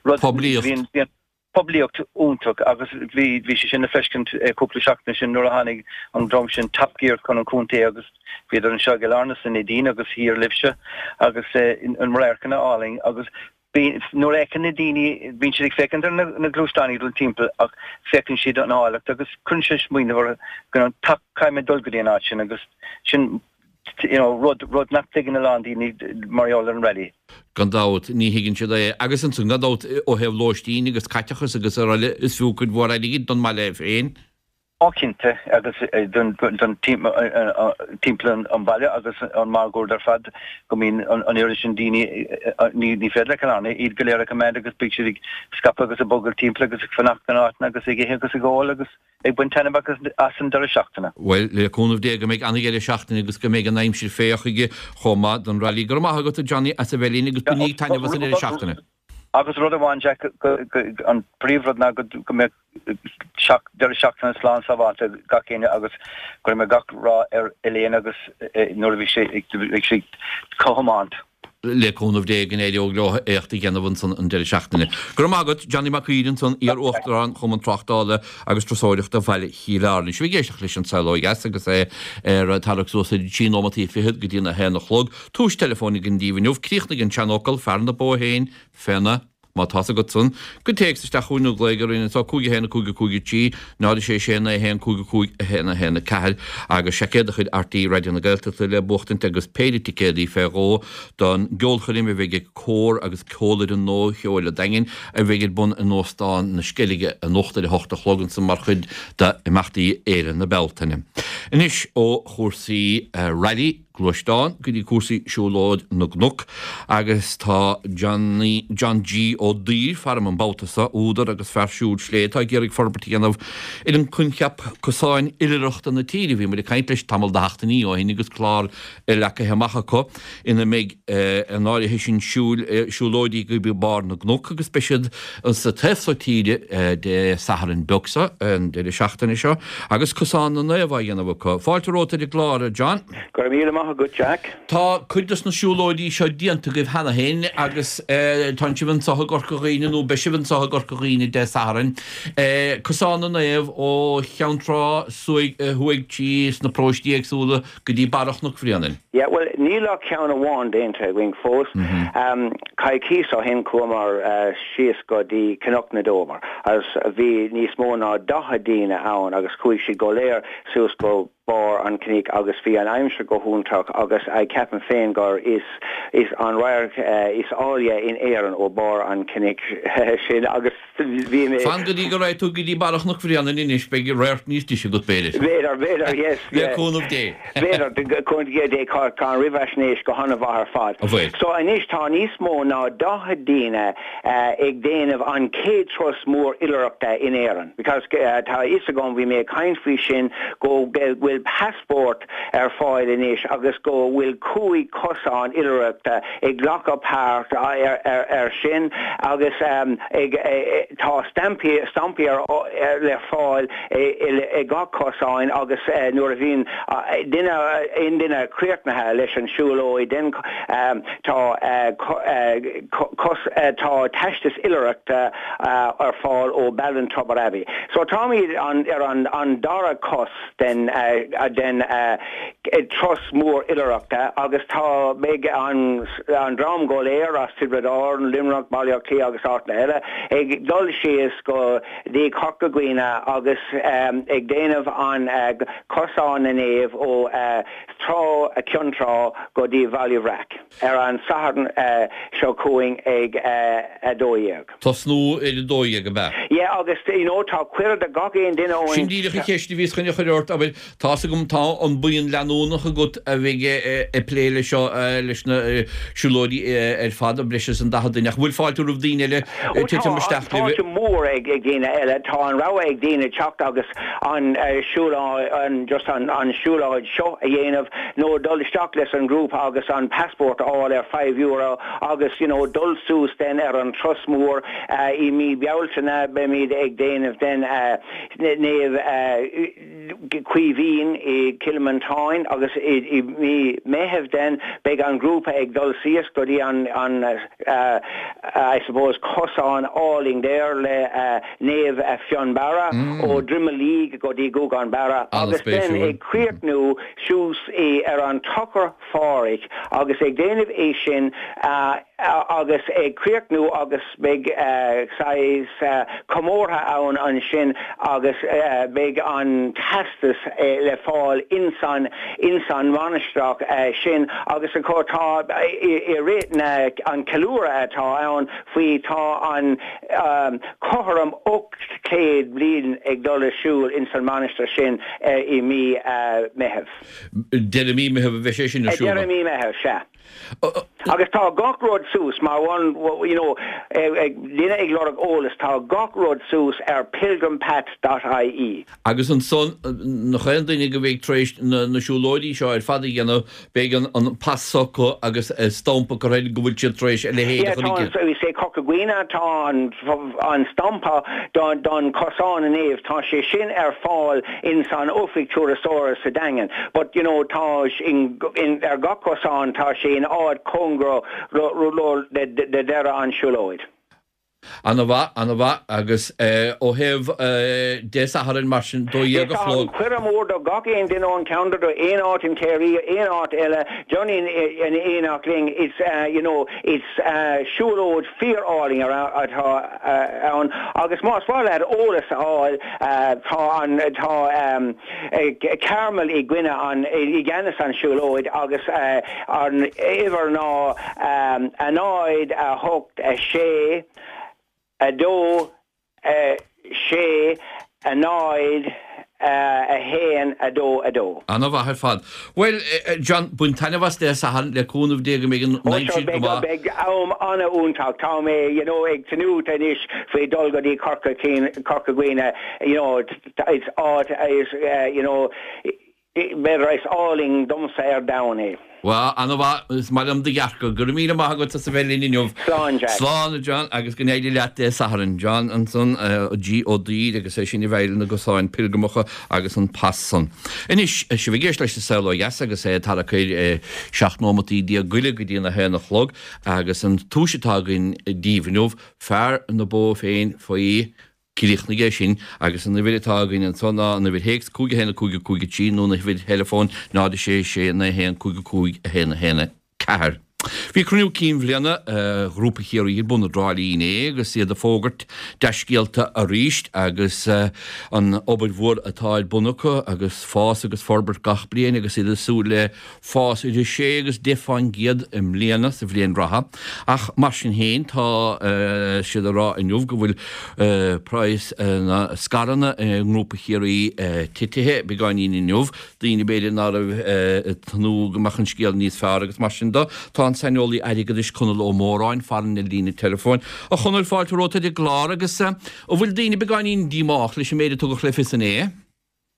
rud, Poiblíocht. poiblíocht iontach agus bhí bhí sé sin le feiscint cúpla seachtain ó shin nuair a tháinig an dream sin Top Gear chun an chontae agus bhíodar anseo i gCill Airne sa Neidín agus thiar libhse agus an radharcanna álainn agus bhí nuair a fheiceann na daoine bíonn siad ag féachaint ar na na gluaisteáin ag dul timpeall ach féachann siad an áilleacht agus cuireann sé smaoineamh orthu go caithfidh mé dul go dtí an áit sin agus sin you know, rud, rud nach dtuigeann a lán daoine mar gheall ar an rally. Gan dabht, ní thuigeann siad é. Agus ansan, gan dabht, ó thaobh lóistín agus caiteachas agus araile, is fiú cuid mhór airgid don mbaile é féin. Ó cinnte, agus don, don timpeall an bhaile agus an máguaird ar fad, go mbíonn an oiread sin daoine, ní, ní féidir le Cill Airne iad go léir a choimeád agus beidh siad ag scaipeadh agus ag bogadh timpeall agus ag fanacht in áiteanna agus ag ithe agus ag ól agus. ag baint taitneamh as an deireadh seachtaine. Bhuel, le cúnamh Dé go mbeidh an-dheireadh seachtaine agus go mbeidh an aimsir fé chuige chomh maith don Rally. Go raibh maith agat a Johnny as a bheith linn agus bainíg taitneamh as an deireadh seachtaine. Agus rud amháin Jack, an príomhrud ná go mbeadh deireadh seachtaine slán sábháilte ag gach éinne agus go mbeadh gach rath ar Elaine agus nuair a bhí sé ag sí ag tiomáint. Le cúnamh Dé go n-éireoidh leo éacht a dhéanamh ansan an deireadh seachtaine. Go raibh maith agat, Johnny Mac Uidhir ansan, iar-Uachtarán Chumann Tráchtála agus Turasóireachta Bhaile Chill Airne. Sibh ag éisteacht leis An Saol Ó Dheas agus é ar tarrac suas ar trí nóimeataí fichead go dtí a haon a chlog. Tomhais teileafóin againn daoibh inniu. Críochnaigh an seanfhocal, fear na bó féin féna. Má tá's agat san, cuir téacs isteach chugainn nó glaoigh orainn anseo, 5 1 5 5 3 0 6 6 9 1 5 5 1 1 4 agus seaicéad de chuid RTÉ Raidió na Gaeltachta le buachtaint agus péire ticéadaí fé dhó don gceolchoirm a bheidh ag Cór agus Ceolfhoireann Nua Cheoil an Daingin a bheidh ar bun in Óstán na Sceilge anocht ar a hocht a chlog ansan mar chuid d'imeachtaí Fhéile na Bealtaine. Anois ó chúrsaí Rally. gluaisteán go dtí cúrsaí siúlóid na gcnoc agus tá Johnny, John G. Ó Duibhir faram an babhta seo, údar agus fear siúil slé atá ag iarraidh forbairt a dhéanamh ar an coincheap cosáin oilithreachta na tíre. Bhí muid ag caint leis tamall de sheachtainí ó shin agus clár leagtha amach acu ina mbeidh an áirithe sin siúil, siúlóidí go barr na gcnoc agus beidh siad sa taobh seo tíre Dé Sathairn beag seo, an deireadh seachtaine seo, agus Cosán na Naomh á dhéanamh acu. Fáilte romhat ar an gclár, a John. Go raibh míle maith agat, Jack. Tá cuid dos na siúlóidí seo déanta agaibh cheana féin agus tánn sibh anseo i gCorca Dhuibhne nó beidh sibh anseo i gCorca Dhuibhne Dé Sathairn. Cosán na Naomh ó Cheann Trá thuaidh trí sna paróistí éagsúla go dtí barra Chnoc Bhréanainn. Yeah, bhuel, níl ach ceann amháin déanta againn fós. Coicís ó shin chuamar síos go dtí Cnoc na dTobar agus bhí níos mó ná 40 daoine ann agus chuaigh siad go léir suas go barr an chnoic agus bhí an aimsir go hiontach agus ceapaim féin gur is is an radharc is áille in Éirinn ó barr an chnoic sin agus bhí mé Fan go dtí go raghaidh tú go dtí barra Chnoc Bhréanainn anois, beidh radharc níos deise agat, b'fhéidir. B'fhéidir, b'fhéidir, yes, Le yeah. cúnamh Dé. B'fhéidir, cúnamh Dé, tá an réamhaisnéis go han-mhaith ar fad. An bhfuil? So anois tá níos mó ná 40 daoine ag déanamh an chéad turas mór oilithreachta in Éirinn because tá a fhios agam, bhí mé ag caint faoi sin, go bhfuil passport ar fáil anois agus go bhfuil 5 cosán oilithreachta ag glacadh páirt ar sin agus ag tá stampaí stampaí ar le fáil i gach cosáin agus nuair a bhíonn duine aon duine críochnaithe leis an siúlóid then tá cos tá teastas oilithreachta ar fáil ó Ballintubber Abbey. So táimid ar an an dara cos den. den turas mór oilithreachta agus tá beidh an an dream go léir as Tiobraid Árann, Luimneach, Baile Átha Cliath agus áiteanna eile ag dul síos go dtí Corca Dhuibhne agus ag déanamh an Cosán na Naomh ó Trá Ceann Trá go dtí Baile Bhreac ar an Satharn seo chugainn ag 12. Tosnú ar 12, ab ea? Yeah agus you know tá cuireadh do gach aon duine ón. Sin díreach an cheist a bhíos chun a chur ort, abair, tá's agam tá an buíon leanúnach agat a bheidh ag plé leis seo, leis na siúlóirí ar fad, breis is an 40 duine, ach an bhfuil fáilte roimh daoine eile titim isteach libh? Tá fáilte mhór ag daoine eile, tá an rogha ag daoine teacht agus an siúlóid, just an siúlóid seo a dhéanamh nó dul isteach leis an ghrúpa agus an passport a fháil ar €5 agus you know dul suas then ar an turas mór i mí Bealtaine beimid ag déanamh then Naomh Caoimhín i Cill Mhantáin agus i mí Meitheamh then beidh an grúpa ag dul síos go dtí an an I suppose cosán álainn there le Naomh Fionnbarra ó Droim Liag go dtí Gougane Barra agus then ag críochnú suas i ar an Tochar Phádraig agus ag déanamh é sin agus ag críochnú agus beidh saghas comórtha ann ansin agus beidh an teastas le fáil insan insan mhainistreach sin agus tá i rith na an ceiliúradh atá ann faoi tá an cothrom 800 bliain ag dul ar siúl ins an mainistir sin i mí Meitheamh. Deireadh mí Meitheamh a bheidh sé sin ar siúl. Deireadh mí Meitheamh, sea. Agus tá gach rud suas, mar one, you know, duine ag lorg eolas, tá gach rud suas ar pilgrimpath dot ie. Agus ansan, nach aon duine go bheidh tar éis na siúlóidí seo ar fad a dhéanamh, beidh an pas s'acu agus stampa curtha air go bhfuil siad tar éis a leithéid a chur i gcrích. Yeah, tá, say Corca Dhuibhne, tá an stampa don Cosán na Naomh, tá sé sin ar fáil ins an oifig turasóra sa Daingean. But, you know, tá in, in, ar gach cosán, tá sé in áit cóngarach le deireadh an siúlóid. Ana mhaith, ana mhaith. Agus ó thaobh Dé Sathairn mar sin, 12 a chlog. Cuireadh mór do gach aon duine ón cheantar, do aon áit in Ciarraí, aon áit eile, join in éineacht linn. It's, you know, it's siúlóid fíor-álainn atá ann agus más mhaith leat eolas a fháil, tá an, tá Carmel i gcoinne an, i gceannas an siúlóid agus an uimhir ná 0, 8, 6, 2, 6, 0, 1, 2, 2. Ana mhaith ar fad. Bhuel, John, bain taitneamh as Dé Sathairn, le cúnamh Dé go mbeidh an aimsir go maith. Beidh am an-iontach. Tá mé, you know, ag tnúth anois faoi dul go dtí Corca, Corca Dhuibhne, you know, is áit, is, you know, B'fhéidir is álainn domsa ar domhan é. Bhuel, ana-mhaith. Is maith liom do dhearcadh. Go raibh míle maith agat as a bheith linn inniu. Slán, Jack. Slán, a John, agus go n-éirí leat Dé Sathairn. John ansan, G. Ó Duibhir, agus é sin a bheidh na gcosáin pilgrimeacha agus an pas san. Anois, sibh ag éisteacht leis an Saol Ó Dheas agus é ag tarrac ar 17 nóimeataí goile go dtí an 1 a chlog agus an tomhais atá againn daoibh inniu, fear na bó féin faoi Críochnaigh é sin agus an uimhir atá againn anso ná an uimhir théacs 5 1 5 5 3 nó an uimhir theileafóin 0 6 6 9 1 5 5 1 1 4. Bhí cruinniú cinn bhliana Ghrúpa Chiarraí ar bun i dTrá Lí inné agus iad ag fógairt dea-scéalta arís agus an obair mhór atá ar bun acu agus fás agus forbairt gach bliain agus iad ag súil le fás idir 6 agus 10 fán gcéad i mbliana, sa bhliain reatha, ach mar sin féin tá siad ag rá inniu go bhfuil praghas na scaireanna i nGrúpa Chiarraí titithe beagáinín inniu, daoine b'fhéidir ná raibh ag tnúth go mbeadh an scéal níos fearr agus mar sin de. Tá an saineolaí airgeadais Conall Ó Móráin farainn ar líne teileafóin. A Chonaill, fáilte romhat ar an gclár agus an bhfuil daoine beagáinín díomách leis an méid a tugadh le fios inné?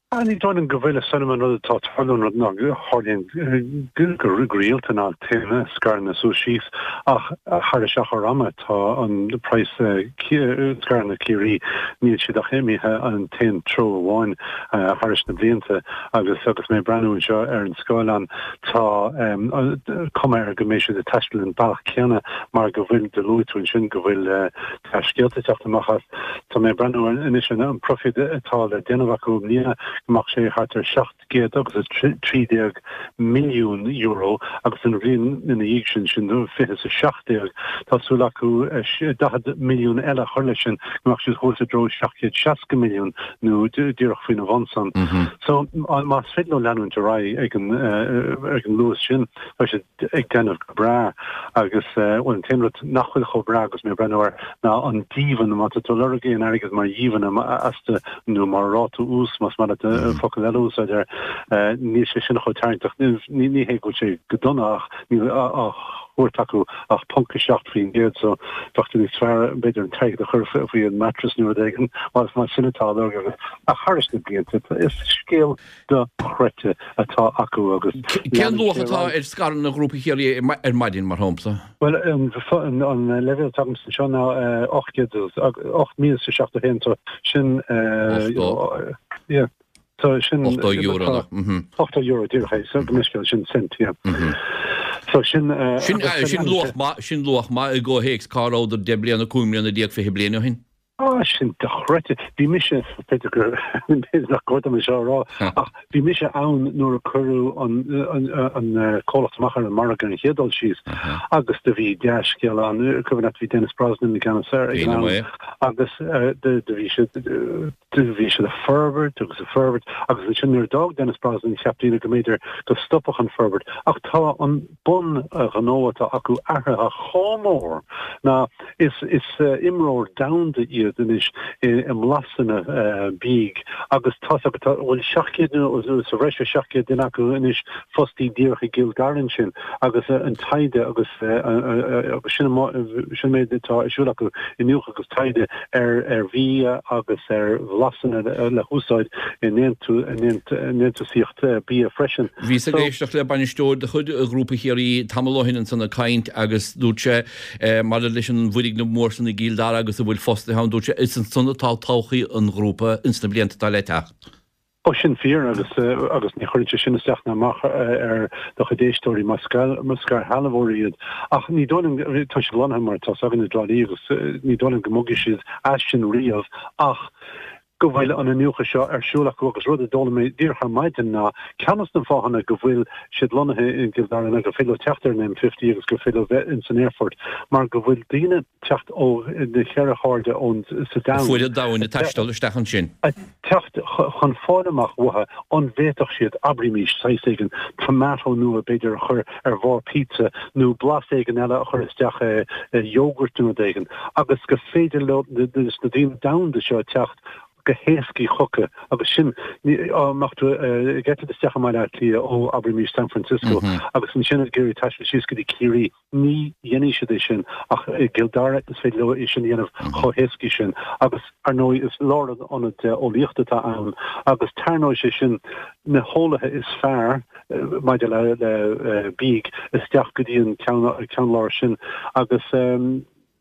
Ní dóigh liom go bhfuil, is dóigh liom an rud atá ag tarlú, an rud nach tharlaíonn go rialta ná téann scaireanna suas síos ach thar achar ama tá an praghas scaireanna Ciarraí níl siad ach imithe an t-aon treo amháin thairis na blianta agus agus mé ag breathnú anseo ar an scáileán tá cuma air go mbeidh siad ag taisteal an bealach céanna mar go bhfuil do luaigh tú ansin go bhfuil Tá scéalta ag teacht amach as. Tá mé ag breathnú anois ar an proifid atá le déanamh acu i mbliana. go mbeadh sé thart ar €713 milliún agus an bhliain ina dhiaidh sin, sin 2017, tá súil acu 40 milliún eile a chur leis sin, go mbeadh siad thuas i dtreo 760 milliún nó díreach faoina bhun san. So más féidir leo leanúint ar aghaidh ag an luas sin, tá siad ag déanamh go breá agus, bhuel, an t-aon rud nach bhfuil chomh breá agus mé ag breathnú air ná an díbhinn, má tá tú ag lorg aon airgead mar dhíbhinn astu nó mar ráta ús, más maith leat focal eile a úsáid air, níl sé sin chomh tarraingteach. Ní hé go bhfuil sé go dona ach níl á thabhairt acu ach ponc 7% so bheadh sé níos fearr b'fhéidir an t-airgead a chur faoi an mattress nó rud éigin más sin atá á lorg agat. Ach thairis na blianta, is scéal dochreidte atá acu agus Cén luach atá ar scaireanna Ghrúpa Chiarraí ar maidin, mar shampla? Bhuel, an leibhéal atá agamsa anseo ná 8,071, so sin, yeah, so sin. €80 nach, mhm. €80, díreach é, so go mbeidh sin cent, yeah. So sin. Sin luach maith, sin luach maith i gcomhthéacs cá rabhadar 10 bliana, 15 mbliana, 20 bliain ó shin. Ah, sin dochreidte. Bhí mise, b'fhéidir gur, b'fhéidir nach cóir dom é seo a rá, ach bhí mise ann nuair a cuireadh an, an, an comhlacht amach ar an margadh ar an chéad dul síos agus do bhí dea-scéal ann. Cuimhin leat, bhí Denis Brosnan i gceannas air ag an am agus do, do bhí siad, do bhí siad ag forbairt agus ag forbairt agus ansin nuair a d'fhág Denis Brosnan cheap daoine go mb'fhéidir go stopfadh an forbairt ach tá an bun-ghnó atá acu athraithe chomh mór ná is imreoir domhanda iad anois i mblasanna bídh agus tá's agat tá bhfuil 700 nó sa bhreis ar 700 duine acu anois fostaí díreach i gCill Dara ansin agus an taighde agus agus sin sin an méid atá ar siúl acu iniúchadh agus taighde ar ar bhia agus ar bhlasanna le húsáid i ndéantúsaíocht bia freisin. Bhíos ag éisteacht le bainisteoir de chuid Ghrúpa Chiarraí tamall ó shin ansan ag caint agus dúirt sé, maidir leis an bhfoirgneamh mór san i gCill Dara agus a bhfuil fostaithe ann, dúirt sé, is ansan atá todhchaí an ghrúpa ins na blianta atá le teacht. Ó, sin fíor agus agus ní chuireann sé sin isteach ná amach ar do chuid éisteoirí más scairshealbhóirí iad. Ach ní dóigh liom, tá siad lonnaithe mar atá 's againn i dTrá Lí agus ní dóigh liom go mbogfaidh siad as sin riamh ach go bhfuil an iniúchadh seo ar siúl acu agus rud a d'fhoghlaim mé díreach ar maidin ná ceann des na fáthanna go bhfuil siad lonnaithe i gCill Dara ná gur féidir leo teacht ar an M50 agus gur féidir leo bheith ins an aerfort mar go bhfuil daoine ag teacht ó na ceithre hairde ón sa domhan Fuaid an domhain ag taisteal isteach ansin. ag teacht chun fáil amach uathu an bhféadfadh siad, abraímís, saghas éigin tomato nua b'fhéidir a chur ar bharr pizza nó blas éigin eile a chur isteach i yogurt nó rud éigin agus gur féidir leo na daoine domhanda seo teacht go héascaí chucu agus sin dá mbeadh tú ag eitilt isteach i mBaile Átha Cliath ó abraímís San Francisco agus ansin ag iarraidh taisteal síos go dtí Ciarraí ní dhéanfaidh siad é sin ach i gCill Dara is féidir leo é sin a dhéanamh chomh héascaí sin agus ar ndóigh is lárionad eolaíochta atá ann agus tarraingeoidh sé sin na heolaithe is fearr maidir le bídh isteach go dtí an ceann láir sin agus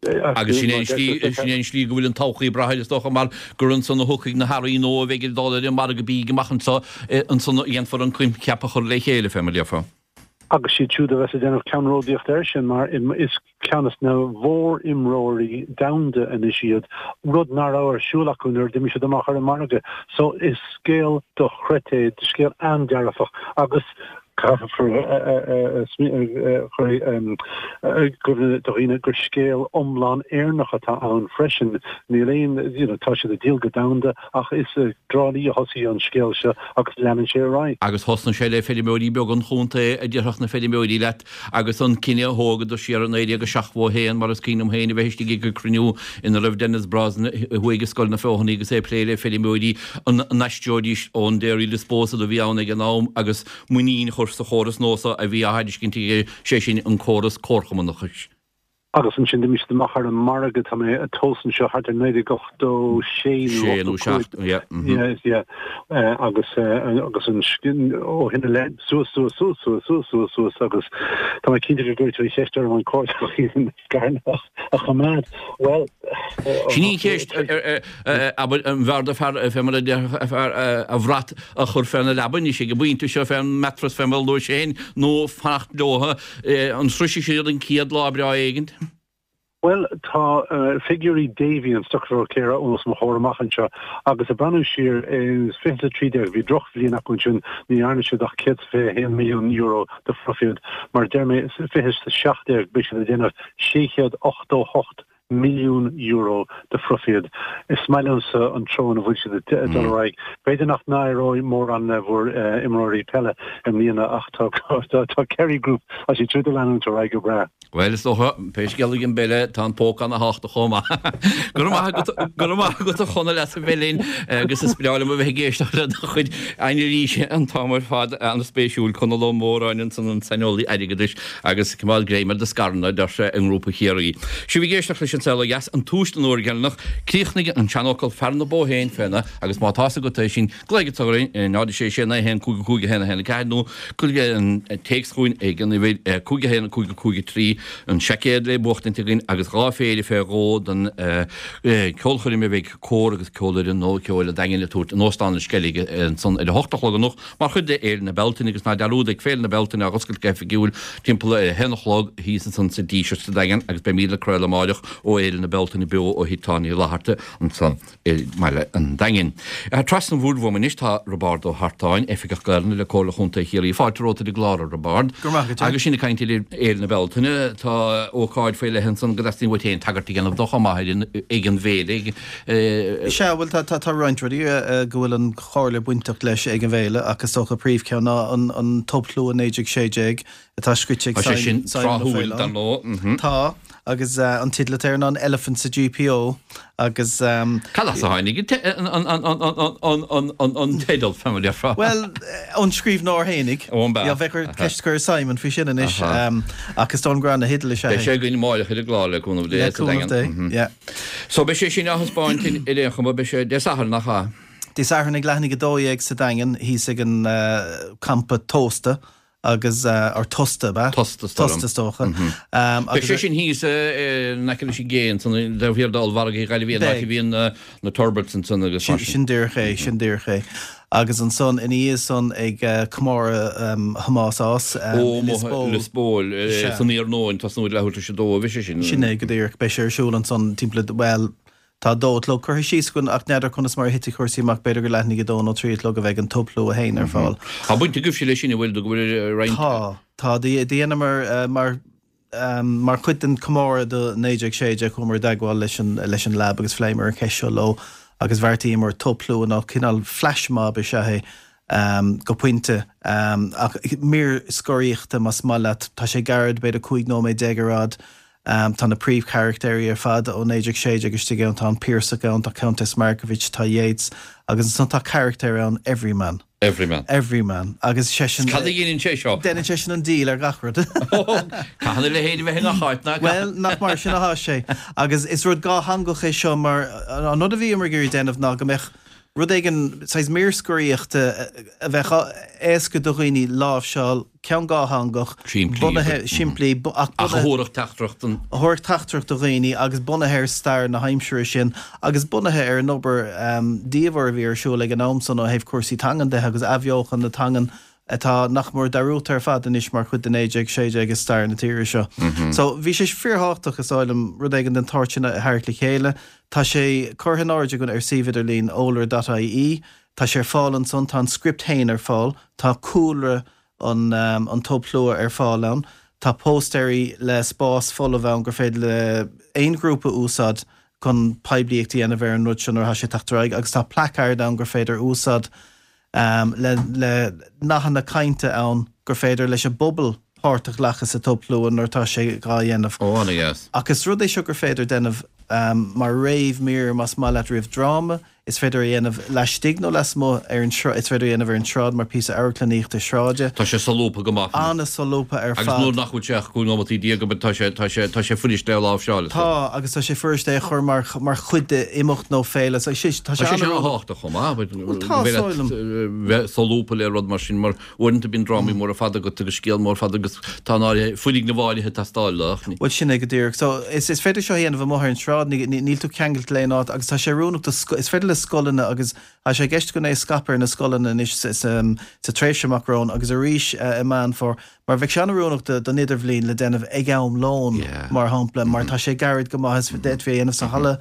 Agus sin é an slí, sin é an slí go bhfuil an todhchaí ag brath air is dócha mar gur ansan a thiocfaidh na hearraí nua a bheidh ag dul ar an margadh bídh amach anseo, ansan a dhéanfar an coincheap a chur le chéile, fé mar a déarfá. Agus siad siúd a bheas ag déanamh ceannródaíocht air sin mar is ceann des na mhór-imreoirí domhanda anois iad, rud nach raibh ar siúl acu nuair a d'imigh siad amach ar an margadh. So is scéal dochreidte é, scéal an-dearfach agus caithfear a chur i gcuimhne do dhaoine gur scéal iomlán Éireannach atá ann freisin. Níl aon, you know, tá siad ag díol go domhanda ach is i dTrá Lí a thosaigh an scéal seo agus leanann sé ar aghaidh. Agus thosnaigh sé le feirmeoirí beaga an chontae, a déarfadh na feirmeoirí leat, agus an cinneadh a thógadar siar i 1971, mar is cuimhin liom féin a bheith istigh ag cruinniú ina raibh Denis Brosnan thuaidh i Scoil na Feothanaí agus é ag plé le feirmeoirí an n-aistreoidís ón Dairy Disposal a bhí ann ag an am agus muinín a chur sa chóras nua so a bhí á thairiscint aige, sé sin an córas comharchumannachais. Agus ansin d'imigh siad amach ar an margadh, tá mé ag tomhas anseo, thart ar 1986 nó 85. Yeah, yeah. Agus agus an ó shin i leith, suas, suas, suas, suas, suas, suas, suas agus tá mé cinnte go gcuirfidh tú an cheist orm an cóir do scaireanna a choimeád. Bhuel, Sin í an cheist, abair, an bhfearr do fear, fé mar a déarfadh fear, a bhrat a chur féna leaba anois ag an bpointe seo, fén mattress fé mar a luais féin, nó fanacht leo. An sroisfidh siad an chéad lá breá éigint? Bhuel, tá figiúirí Davy, an stocbhróicéara, os mo chomhair amach anseo agus ag breathnú siar in 2013 bhí drochbhliain acu ansin, ní dhearna siad ach €121 milliún de phroifid. Mar a deir mé, 2017 beidh siad ag déanamh €688 milliún de phroifid. Is maith liomsa an treo ina bhfuil siad ag dul ar aghaidh. B'fhéidir nach n-éireoidh mórán le bhur imreoirí peile i mbliana ach tá Kerry Group, tá siad siúd ag leanúint ar aghaidh go breá. Bhuel, is dócha, pé scéal ag an bpeile, tá an póca ana-thábhachtach chomh maith. Go raibh maith agat, go raibh maith agat a Chonaill as a bheith linn agus is breá liom a bheith ag éisteacht le do chuid anailíse an t-am ar fad. An-spéisiúil. Conall Ó Móráin ansan, an saineolaí airgeadais agus coimeád greim ar do scaireanna, a deir sé, i nGrúpa Chiarraí. Sibh ag éisteacht leis An Saol Ó Dheas, an tús don uair dheireanach. Críochnaigh an seanfhocal fear na bó féin féna agus má tá's agat é sin, Glaoigh anseo orainn, 0 6 6 9 1 5 5 1 1 4 nó cuir an téacs chugainn ag an uimhir 5 1 5 5 3, an seaicéad le buachtaint againn agus dhá phéire fé dhó don ceolchoirm a bheidh cór agus ceolfhoireann Nua Ceoil an Daingin ag tabhairt in Óstán an Sceilg ansan ar a hocht a chlog anocht mar chuid de Fhéile na Bealtaine agus ná dearúd ag Féile na Bealtaine á oscailt go hoifigiúil timpeall a haon a chlog thíos ansan sa Díseart sa Daingean agus beimid ag craoladh amáireach ó Fhéile na Bealtaine beo ó Thigh Táin Uí Fhlatharta ansan. i mbaile an Daingin. Trasna an bhoird uaim anois tá Roibeárd Ó hArtáin, Oifigeach Gaelainne le Comhairle Chontae Chiarraí. Fáilte romhat ar an gclár, a Roibeárd. Go raibh maith agat. Agus sinn ag caint ar Fhéile na Bealtaine, tá ócáid faoi leith ansan go dteastaíonn uait féin tagairt a dhéanamh dó chomh maith ar ag an bhféile. Sea, bhuel tá tá roinnt rudaí go bhfuil an Chomhairle bainteach leis ag an bhféile ach is dócha príomhcheann ná an Tobshlua 1916 atá scrite ag Tá sé sin Simon Ó tráthúil, dar Faoláin. ndóigh. Tá, agus an teideal atá air ná an Elephant sa GPO agus. Cad as a tháinig an teideal, fé mar a déarfá? Bhuel, ón scríbhneoir fhéinig. Ó, an b'ea? Bheadh ort ceist a chur ar Simon faoi sin anois. Ach is dóigh liom gur ana-theideal is ea é. Beidh sé againn amáireach ar an gclár, le cúnamh Dé, Le cúnamh Dé, yeah. So beidh sé sin á thaispeáint ar aon chuma, beidh sé Dé Sathairn, nach ea? Dé Sathairn ag leath i ndiaidh 12 sa Daingean, thíos ag an campa Tósta. agus, or Tosta, ab ea? Tosta, is dóigh liom. Tosta, is dócha. Beidh sé sin thíos in aice leis an gcé ansan, taobh thiar d'ollmhargadh Ghaillimh, an áit a bhíonn na turbots ansan agus mar sin. Sin díreach é, sin díreach é. Agus ansan, ina dhiaidh san, ag comóradh Thomás Ághas i Lios Póil. Lios Póil, san iarnóin, tosnú ag leathuair tar éis a dó a bheidh sé sin. Sin é go díreach. Beidh sé ar siúl ansan timpeall, bhuel, Tá a dó a chlog curtha síos againn ach n'fheadar conas mar a thitfidh cúrsaí amach, b'fhéidir gur leath i ndiaidh a dó nó trí a chlog a bheidh an tobshlua féin ar fáil. Tá baint agaibhse leis sin, an bhfuil, go bhfuil roinnt. Tá, tá. Dheineamar mar mar chuid den comóradh do 1916 chuamar i dteagmháil leis an leis an lab agus phléamar an cheist seo leo agus bheartaíomar tobshlua nó cineál flash mob is ea é go pointe ach mír scoraíochta más maith leat. Tá sé gairid, b'fhéidir 15 nóiméad ar fhad. Tá na príomhcharachtéirí ar fad ó 1916 istigh ann, tá an Piarsach ann, tá Countess Markievicz, tá Yeats, agus ansan tá carachtéir ann, Everyman. Everyman. Everyman. Agus seisean. Cad a dheineann sé seo? Deineann seisean an díol ar gach rud. Caitheann a leithéid a bheith i ngach áit, nach Bhuel, nach mar sin atá sé. Agus is rud dhátheangach é seo mar an rud a bhíomar ag iarraidh déanamh ná go mbeadh rud éigin, saghas mír scoraíochta a bheadh éasca do dhaoine láimhseáil, ceann dhátheangach, Simplí, bunaithe, simplí, ach ach a thabharfadh teachtaireacht don. a thabharfadh teachtaireacht do dhaoine agus bunaithe ar stair na haimsire sin agus bunaithe ar an obair diamhair a bhí ar siúl ag an am san ó thaobh cúrsaí teangan de agus athbheochan na teangan atá nach mór dearúdta ar fad anois mar chuid de 1916 i stair na tíre seo. So bhí sé fíorthábhachtach, is dóigh liom, rud éigin den tsórt sin a tharraingt le chéile. Tá sé curtha in airde againn ar suíomh idirlín eolaire.ie. Tá sé ar fáil ansan, tá an script féin ar fáil, tá cúlra an an tobshlua ar fáil ann, tá póstaeirí le spás folamh ann gur féidir le aon ghrúpa úsáid chun poiblíocht a dhéanamh ar an rud seo nuair atá sé ag teacht ar aghaidh agus tá placard ann gur féidir úsáid le le nathanna cainte ann gur féidir leis an bpobal páirt a ghlacadh sa tobshlua nuair atá sé dhá dhéanamh. Ó, ana-dheas. Ach is rud é seo gur féidir déanamh mar réamh-mhír más maith leat roimh dráma, Is féidir a dhéanamh laistigh nó lasmuigh ar an sráid. Is féidir a dhéanamh ar an tsráid mar píosa amharclannaíochta sráide. Tá sé solúbtha go maith. An-solúbtha ar fad. Agus nuair nach bhfuil sé ach 15 nóimeataí tá sé, tá sé, tá sé fuirist é a láimhseáil. Tá, agus tá sé fuirist é a chur mar, mar chuid d'imeacht nó féile. Tá sé, tá sé an-thábhachtach chomh maith. Bhuel tá, is dóigh liom. Bheith solúbtha le rud mar sin mar Uaireanta bíonn drámaí móra fada agat agus scéal mór fada agus tá an áirithe, foirgneamh áirithe ag teastáil leo ach ní. Bhuel sin é go díreach. So is is féidir seo a dhéanamh amuigh ar an tsráid, ní níl tú ceangailte le aon áit agus tá sé oiriúnach do is féidir le. scoileanna agus tá sé i gceist againn é a scaipeadh ar na scoileanna anois sa tréimhse amach romhainn agus arís i Meán Fómhair mar bheadh sé an-oiriúnach don idirbhliain le déanamh ag am lóin, mar shampla, mar tá sé gairid go maith is d'fhéadfaí é a dhéanamh sa halla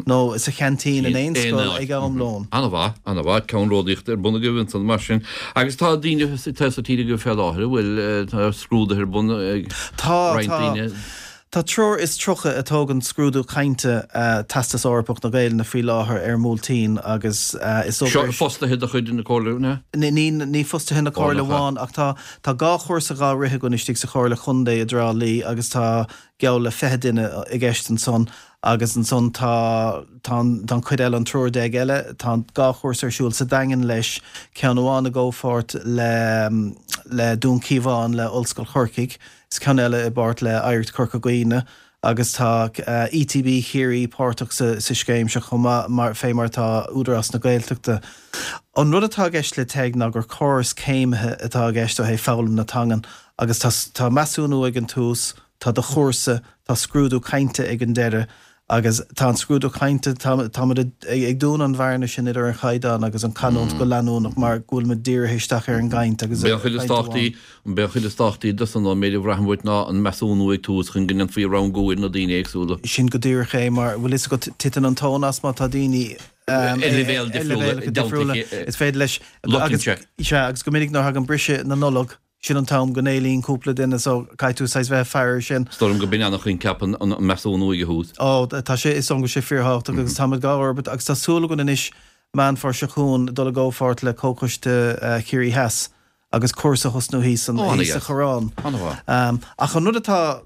nó sa cheaintín in aon scoil ag am lóin. An-mhaith, an-mhaith. Ceannródaíocht ar bun agaibh ansan mar sin. Agus tá daoine sa tír agaibh fé láthair a bhfuil, tá scrúduithe ar bun ag roinnt daoine. Tá. Tá triúr is 30 ag tógaint scrúdú cainte Teastas Eorpach na Gaelainne faoi láthair ar an mBuailtín agus is obair. Seo fostaithe de chuid na Comhairle, an ea? Ní, ní fostaithe na Comhairle amháin ach tá tá 2 chúrsa dhá rith againn istigh sa Chomhairle Chontae i dTrá Lí agus tá geall le 20 duine i gceist ansan agus ansan tá tá an tá an chuid eile, an triúr déag eile, tá an 2 chúrsa ar siúl sa Daingean leis, ceann amháin i gcomhpháirt le le Dún Cíobháin le Ollscoil Chorcaigh. Is ceann eile i bpáirt le Oidhreacht Chorca Dhuibhne agus tá ETB Chiarraí páirteach sa scéim seo chomh maith, mar, fé mar atá Údarás na Gaeltachta. An rud atá i gceist le TEG ná gur córas céimithe atá i gceist ó thaobh foghlaim na teangan agus tá, tá measúnú ag an tús, tá do chúrsa, tá scrúdú cainte ag an deireadh agus tá an scrúdú cainte, tá, táimid ag dúnadh an bhearna sin idir an chaighdeán agus an chanúint go leanúnach mar go bhfuilimid dírithe isteach ar an gcaint agus ar an chaint amháin. An b'é an chuid is tábhachtaí de san, ón méid a bhraithim uait, ná an measúnú ag tús chun go ndéanfaí rangú ar na daoine éagsúla. Sin go díreach é, mar bhfuil fhios agat, titeann an tóin as má tá daoine ar leibhéal difriúla, is féidir leis, agus, sea, agus go minic nuair a thagann briseadh na Nollag, Sin an t-am go n-éalaíonn cúpla duine so caithfidh tú saghas bheith ag faire air sin. Is dóigh liom go b'in an-choincheap an measúnú ag an thús. Ó, tá sé, is dóigh liom go bhfuil sé fíorthábhachtach agus táimid dhá fhorbairt agus tá súil againn anois Meán Fómhair seo chugainn dul i gcomhpháirt le Comhchoiste Chiarraí Theas agus cúrsa a thosnú thíos thíos sa Choireán. Ach an rud atá,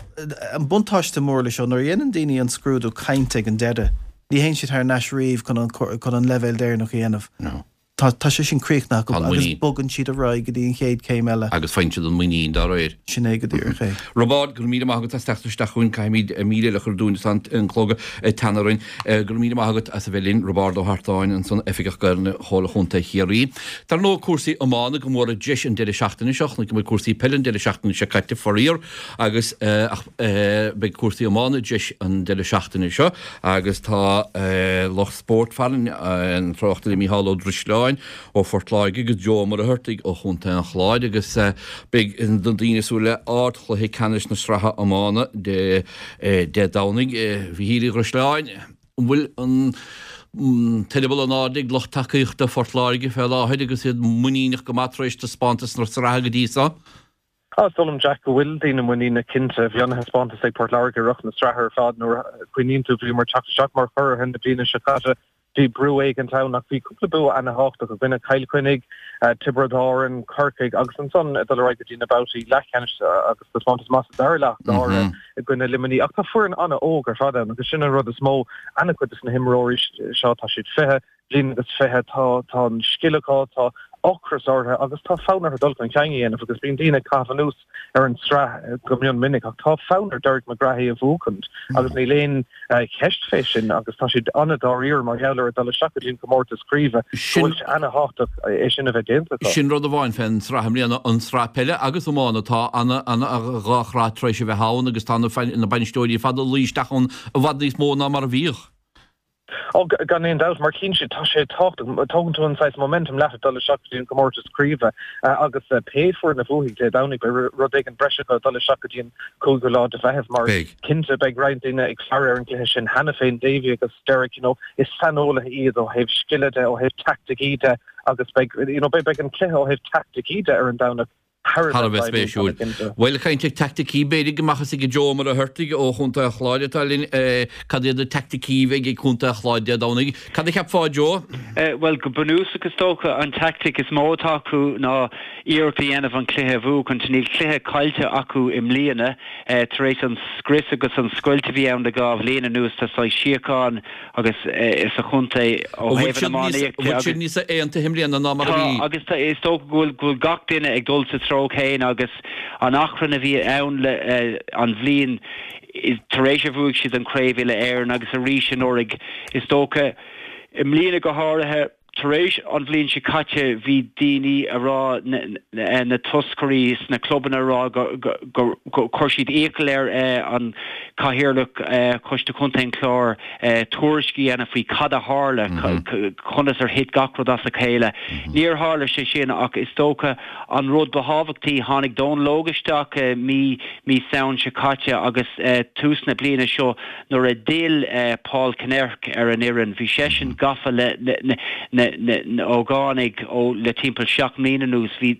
an buntáiste mór leis seo, nuair a dhéanann daoine an scrúdú cainte ag an deireadh, ní théann siad thar n-ais riamh chun an leibhéal deireanach a dhéanamh. Tá, tá sé sin críochnaithe acu agus bogann siad ar aghaidh go dtí an chéad chéim eile. Agus faigheann siad an muinín dá réir. Sin é go díreach é. Roibeárd, go raibh míle maith agat as teacht isteach chugainn. Caithfimid mír eile a chur dúinn is tá an clog ag teannadh orainn. Go raibh míle maith agat as a bheith linn. Roibeárd Ó hArtáin ansan, Oifigeach Gaelainne Chomhairle Chontae Chiarraí. Dar ndóigh, cúrsaí iomána go mór i dtreis an deireadh seachtaine seo. Chonaic muid cúrsaí peile an deireadh seachtaine seo caite, faraor, agus ach beidh cúrsaí iomána i dtreis an deireadh seachtaine seo agus tá lucht spóirt farainn, an tráchtaire Mícheál Ó Drisleáin ó Phort Láirge agus Joe Ó Muircheartaigh ó Chontae an Chláir agus beidh na daoine ag súil le ardchluiche ceannais na sraithe iomána Dé Domhnaigh. A Mhíchíl Uí Dhrisleáin, an bhfuil an t-eireaball in airde ag lucht tacaíochta Phort Láirge fé láthair agus iad muiníneach go maith tar éis taispeántas na sraithe go dtí seo? Tá, is dóigh liom, Jack, go bhfuil daoine muiníneach cinnte. Bhí ana-thaispeántas ag Port Láirge i rith na sraithe ar fad. Nuair a chuimhníonn tú, bhíomar ag teacht isteach mar churaithe na bliana seo caite. Bhí brú éigint ann ach bhí cúpla bua ana-thábhachtach i gcoinne Chill Chainnigh, Tiobraid Árann, Corcaigh agus ansan ag dul ar aghaidh go dtí na babhtaí leathcheannais agus taispeántas maith sa dara leath go háirithe i gcoinne Luimnigh. Ach tá foireann ana-óg ar fad ann agus sin an rud is mó. Ana-chuid de na himreoirí seo, tá siad 20, bliain agus 20, tá tá an scil acu, tá ocras orthu agus tá fonn orthu dul chun cinn a dhéanamh agus bíonn daoine ag caitheamh anuas ar an tsraith go mion minic ach tá fonn ar Derek McGrath é a bhuachaint agus níl aon cheist fé sin agus tá siad an-dáiríre mar gheall ar ag dul isteach go dtí an comórtas craoibhe go bhfuil sé ana-thábhachtach é sin a bheith déanta acu. Sin rud amháin fén tsraith i mbliana, an tsraith peile agus iomána, tá ana ana dhá shraith tar éis a bheith ann agus tá na na bainisteoirí ar fad ag luí isteach ann i bhfad níos mó ná mar a bhíodh. Ó, gan aon dabht, mar cinnte, tá sé tábhachtach. Tógann tú an saghas momentum leat ag dul isteach go dtí an comórtas craoibhe agus pé foireann a bhuafaidh Dé Domhnaigh, beidh rud éigin breise acu ag dul isteach go dtí an cúigiú lá de Mheitheamh mar cinnte beidh roinnt daoine ag faire ar an gcluiche sin cheana féin, Davy agus Derek, you know, is saineolaithe iad ó thaobh scile de, ó thaobh teaicticí de agus beidh, you know, beidh an cluiche ó thaobh teaicticí de ar an Domhnach thar a bheith spéisiúil. Bhuel, caint ar teaicticí, b'fhéidir go mbeadh a fhios ag Joe Ó Muircheartaigh ó Chontae an Chláir atá linn cad iad na teaicticí a bheidh ag Contae an Chláir Dé Domhnaigh. Cad a cheapfá, Joe? Bhuel, go bunúsach is dócha an teaictic is mó atá acu ná iarracht a dhéanamh an cluiche a bhuachaint. Níl cluiche caillte acu i mbliana tar éis an scrios agus an scoilt a bhí ann le dhá bhliain anuas. Tá saghas síocháin agus sa chontae ó thaobh an iománaíocht de agus. Bhfuil siad níos aontaithe i mbliana ná mar a bhí? Tá agus tá, is dócha go bhfuil, go bhfuil gach duine ag dul sa treo céanna agus an achrann a bhí ann le an bhliain tar éis a bhuaigh siad an Craobh Uile Éireann agus arís anuraidh, is dócha i mbliana go háirithe. Tar éis an bhliain seo caite bhí daoine a rá, na toscairí sna clubanna a rá gur chuir siad iachall ar an Cathaoirleach Choiste Chontae an Chláir tuairisc a dhéanamh faoi cad a tharla, conas ar thit gach rud as a chéile. Níor tharla sé sin ach is dócha an rud ba thábhachtaí, tháinig Dónal Óg isteach mí mí Samhain seo caite agus tús na bliana seo Nuair a d'fhill Paul Kinnerk ar an fhoireann, bhí seisean gafa le na hógánaigh ó le timpeall 7 mbliana anuas. Bhí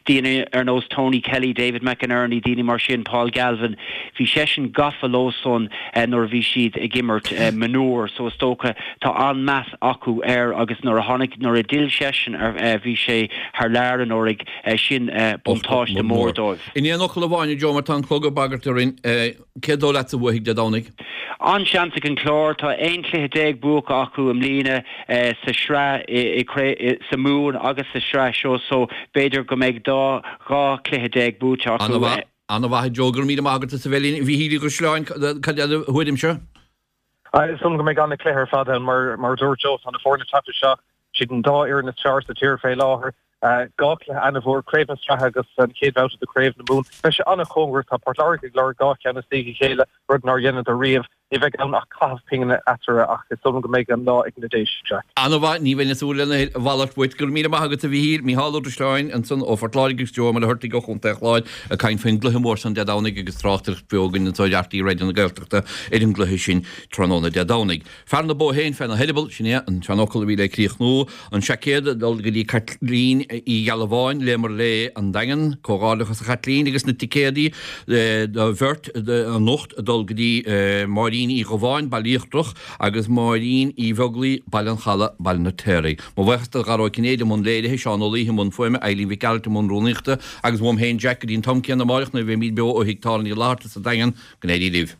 daoine ar nós Tony Kelly, David McInerney, daoine mar sin, Paul Galvin, bhí seisean gafa leo san nuair a bhí siad ag imirt mionúir. So is dócha tá an-meas acu air agus nuair a tháinig, nuair a d'fhill seisean bhí sé thar lear anuraidh, sin buntáiste mór dóibh. In aon fhocal amháin, a Joe, mar tá an clog ag bagairt orainn, Cé dóigh leatsa a bhuafaidh Dé Domhnaigh? An-seans ag an Chlár. Tá 11 cluiche buaite acu i mbliana sa sraith i sa Mumhan agus sa sraith seo so b'fhéidir go mbeidh dá 12 cluiche buaite acu. An-mhaith. An-mhaith a Joe. Go raibh míle maith agat as a bheith linn. A Mhíchíl Uí Dhrisleáin, cad é do thuairimse? Is dóigh liom go mbeidh an-chluiche ar fad ann mar mar a dúirt Joe tá na foirne ag teacht isteach, siad an dá fhoireann is fearr sa tír fé láthair. 2 chluiche an-mhór, Craobh na Sraithe agus an chéad bhabhta de Chraobh na Mumhan. Beidh sé an-chóngarach, tá Port Láirge ag lorg 2 cheann istigh a chéile, rud nár dheineadar riamh. Ní bheidh ann ach caitheamh pingine eatarthu ach is dóigh liom go mbeidh an lá ag na Déise, Jack. An-mhaith, ní bheinn ag súil lena mhalairt uait. Go raibh míle maith agat a Mhíchíl. Mícheál Ó Drisleáin ansan ó Phort Láirge agus Joe Ó Muircheartaigh ó Chontae an Chláir ag caint faoin gcluiche mór san Dé Domhnaigh agus tráchtaireacht bheo againn anso ar RTÉ Raidió na Gaeltachta ar an gcluiche sin tráthnóna Dé Domhnaigh. Fear na bó féin féna heireaball, sin é an seanfhocal a bhí le críochnú. An seaicéad ag dul go dtí Caitlín Uí Ghealbháin, Léamar Léith, An Daingean. Comhghairdeachas a Chaitlín agus na ticéadaí do bheirt anocht ag dul go dtí Máirín Uí Dhubháin, Baile Íochtarach, agus Máirín Uí Bheaglaoi, Baile an Chalaidh, Baile an Fheirtéaraigh. Mo bhuíochas do Dhara Ó Cinnéide i mbun léirithe, Seán Ó Laoithe i mbun fuaime, Eilín Mhic Gearailt i mbun rúnaíochta agus uaim féin Jack go dtí an t-am céanna amáireach nuair a bheimíd beo ó thigh tábhairne Uí Fhlatharta sa Daingean. Go n-éirí libh.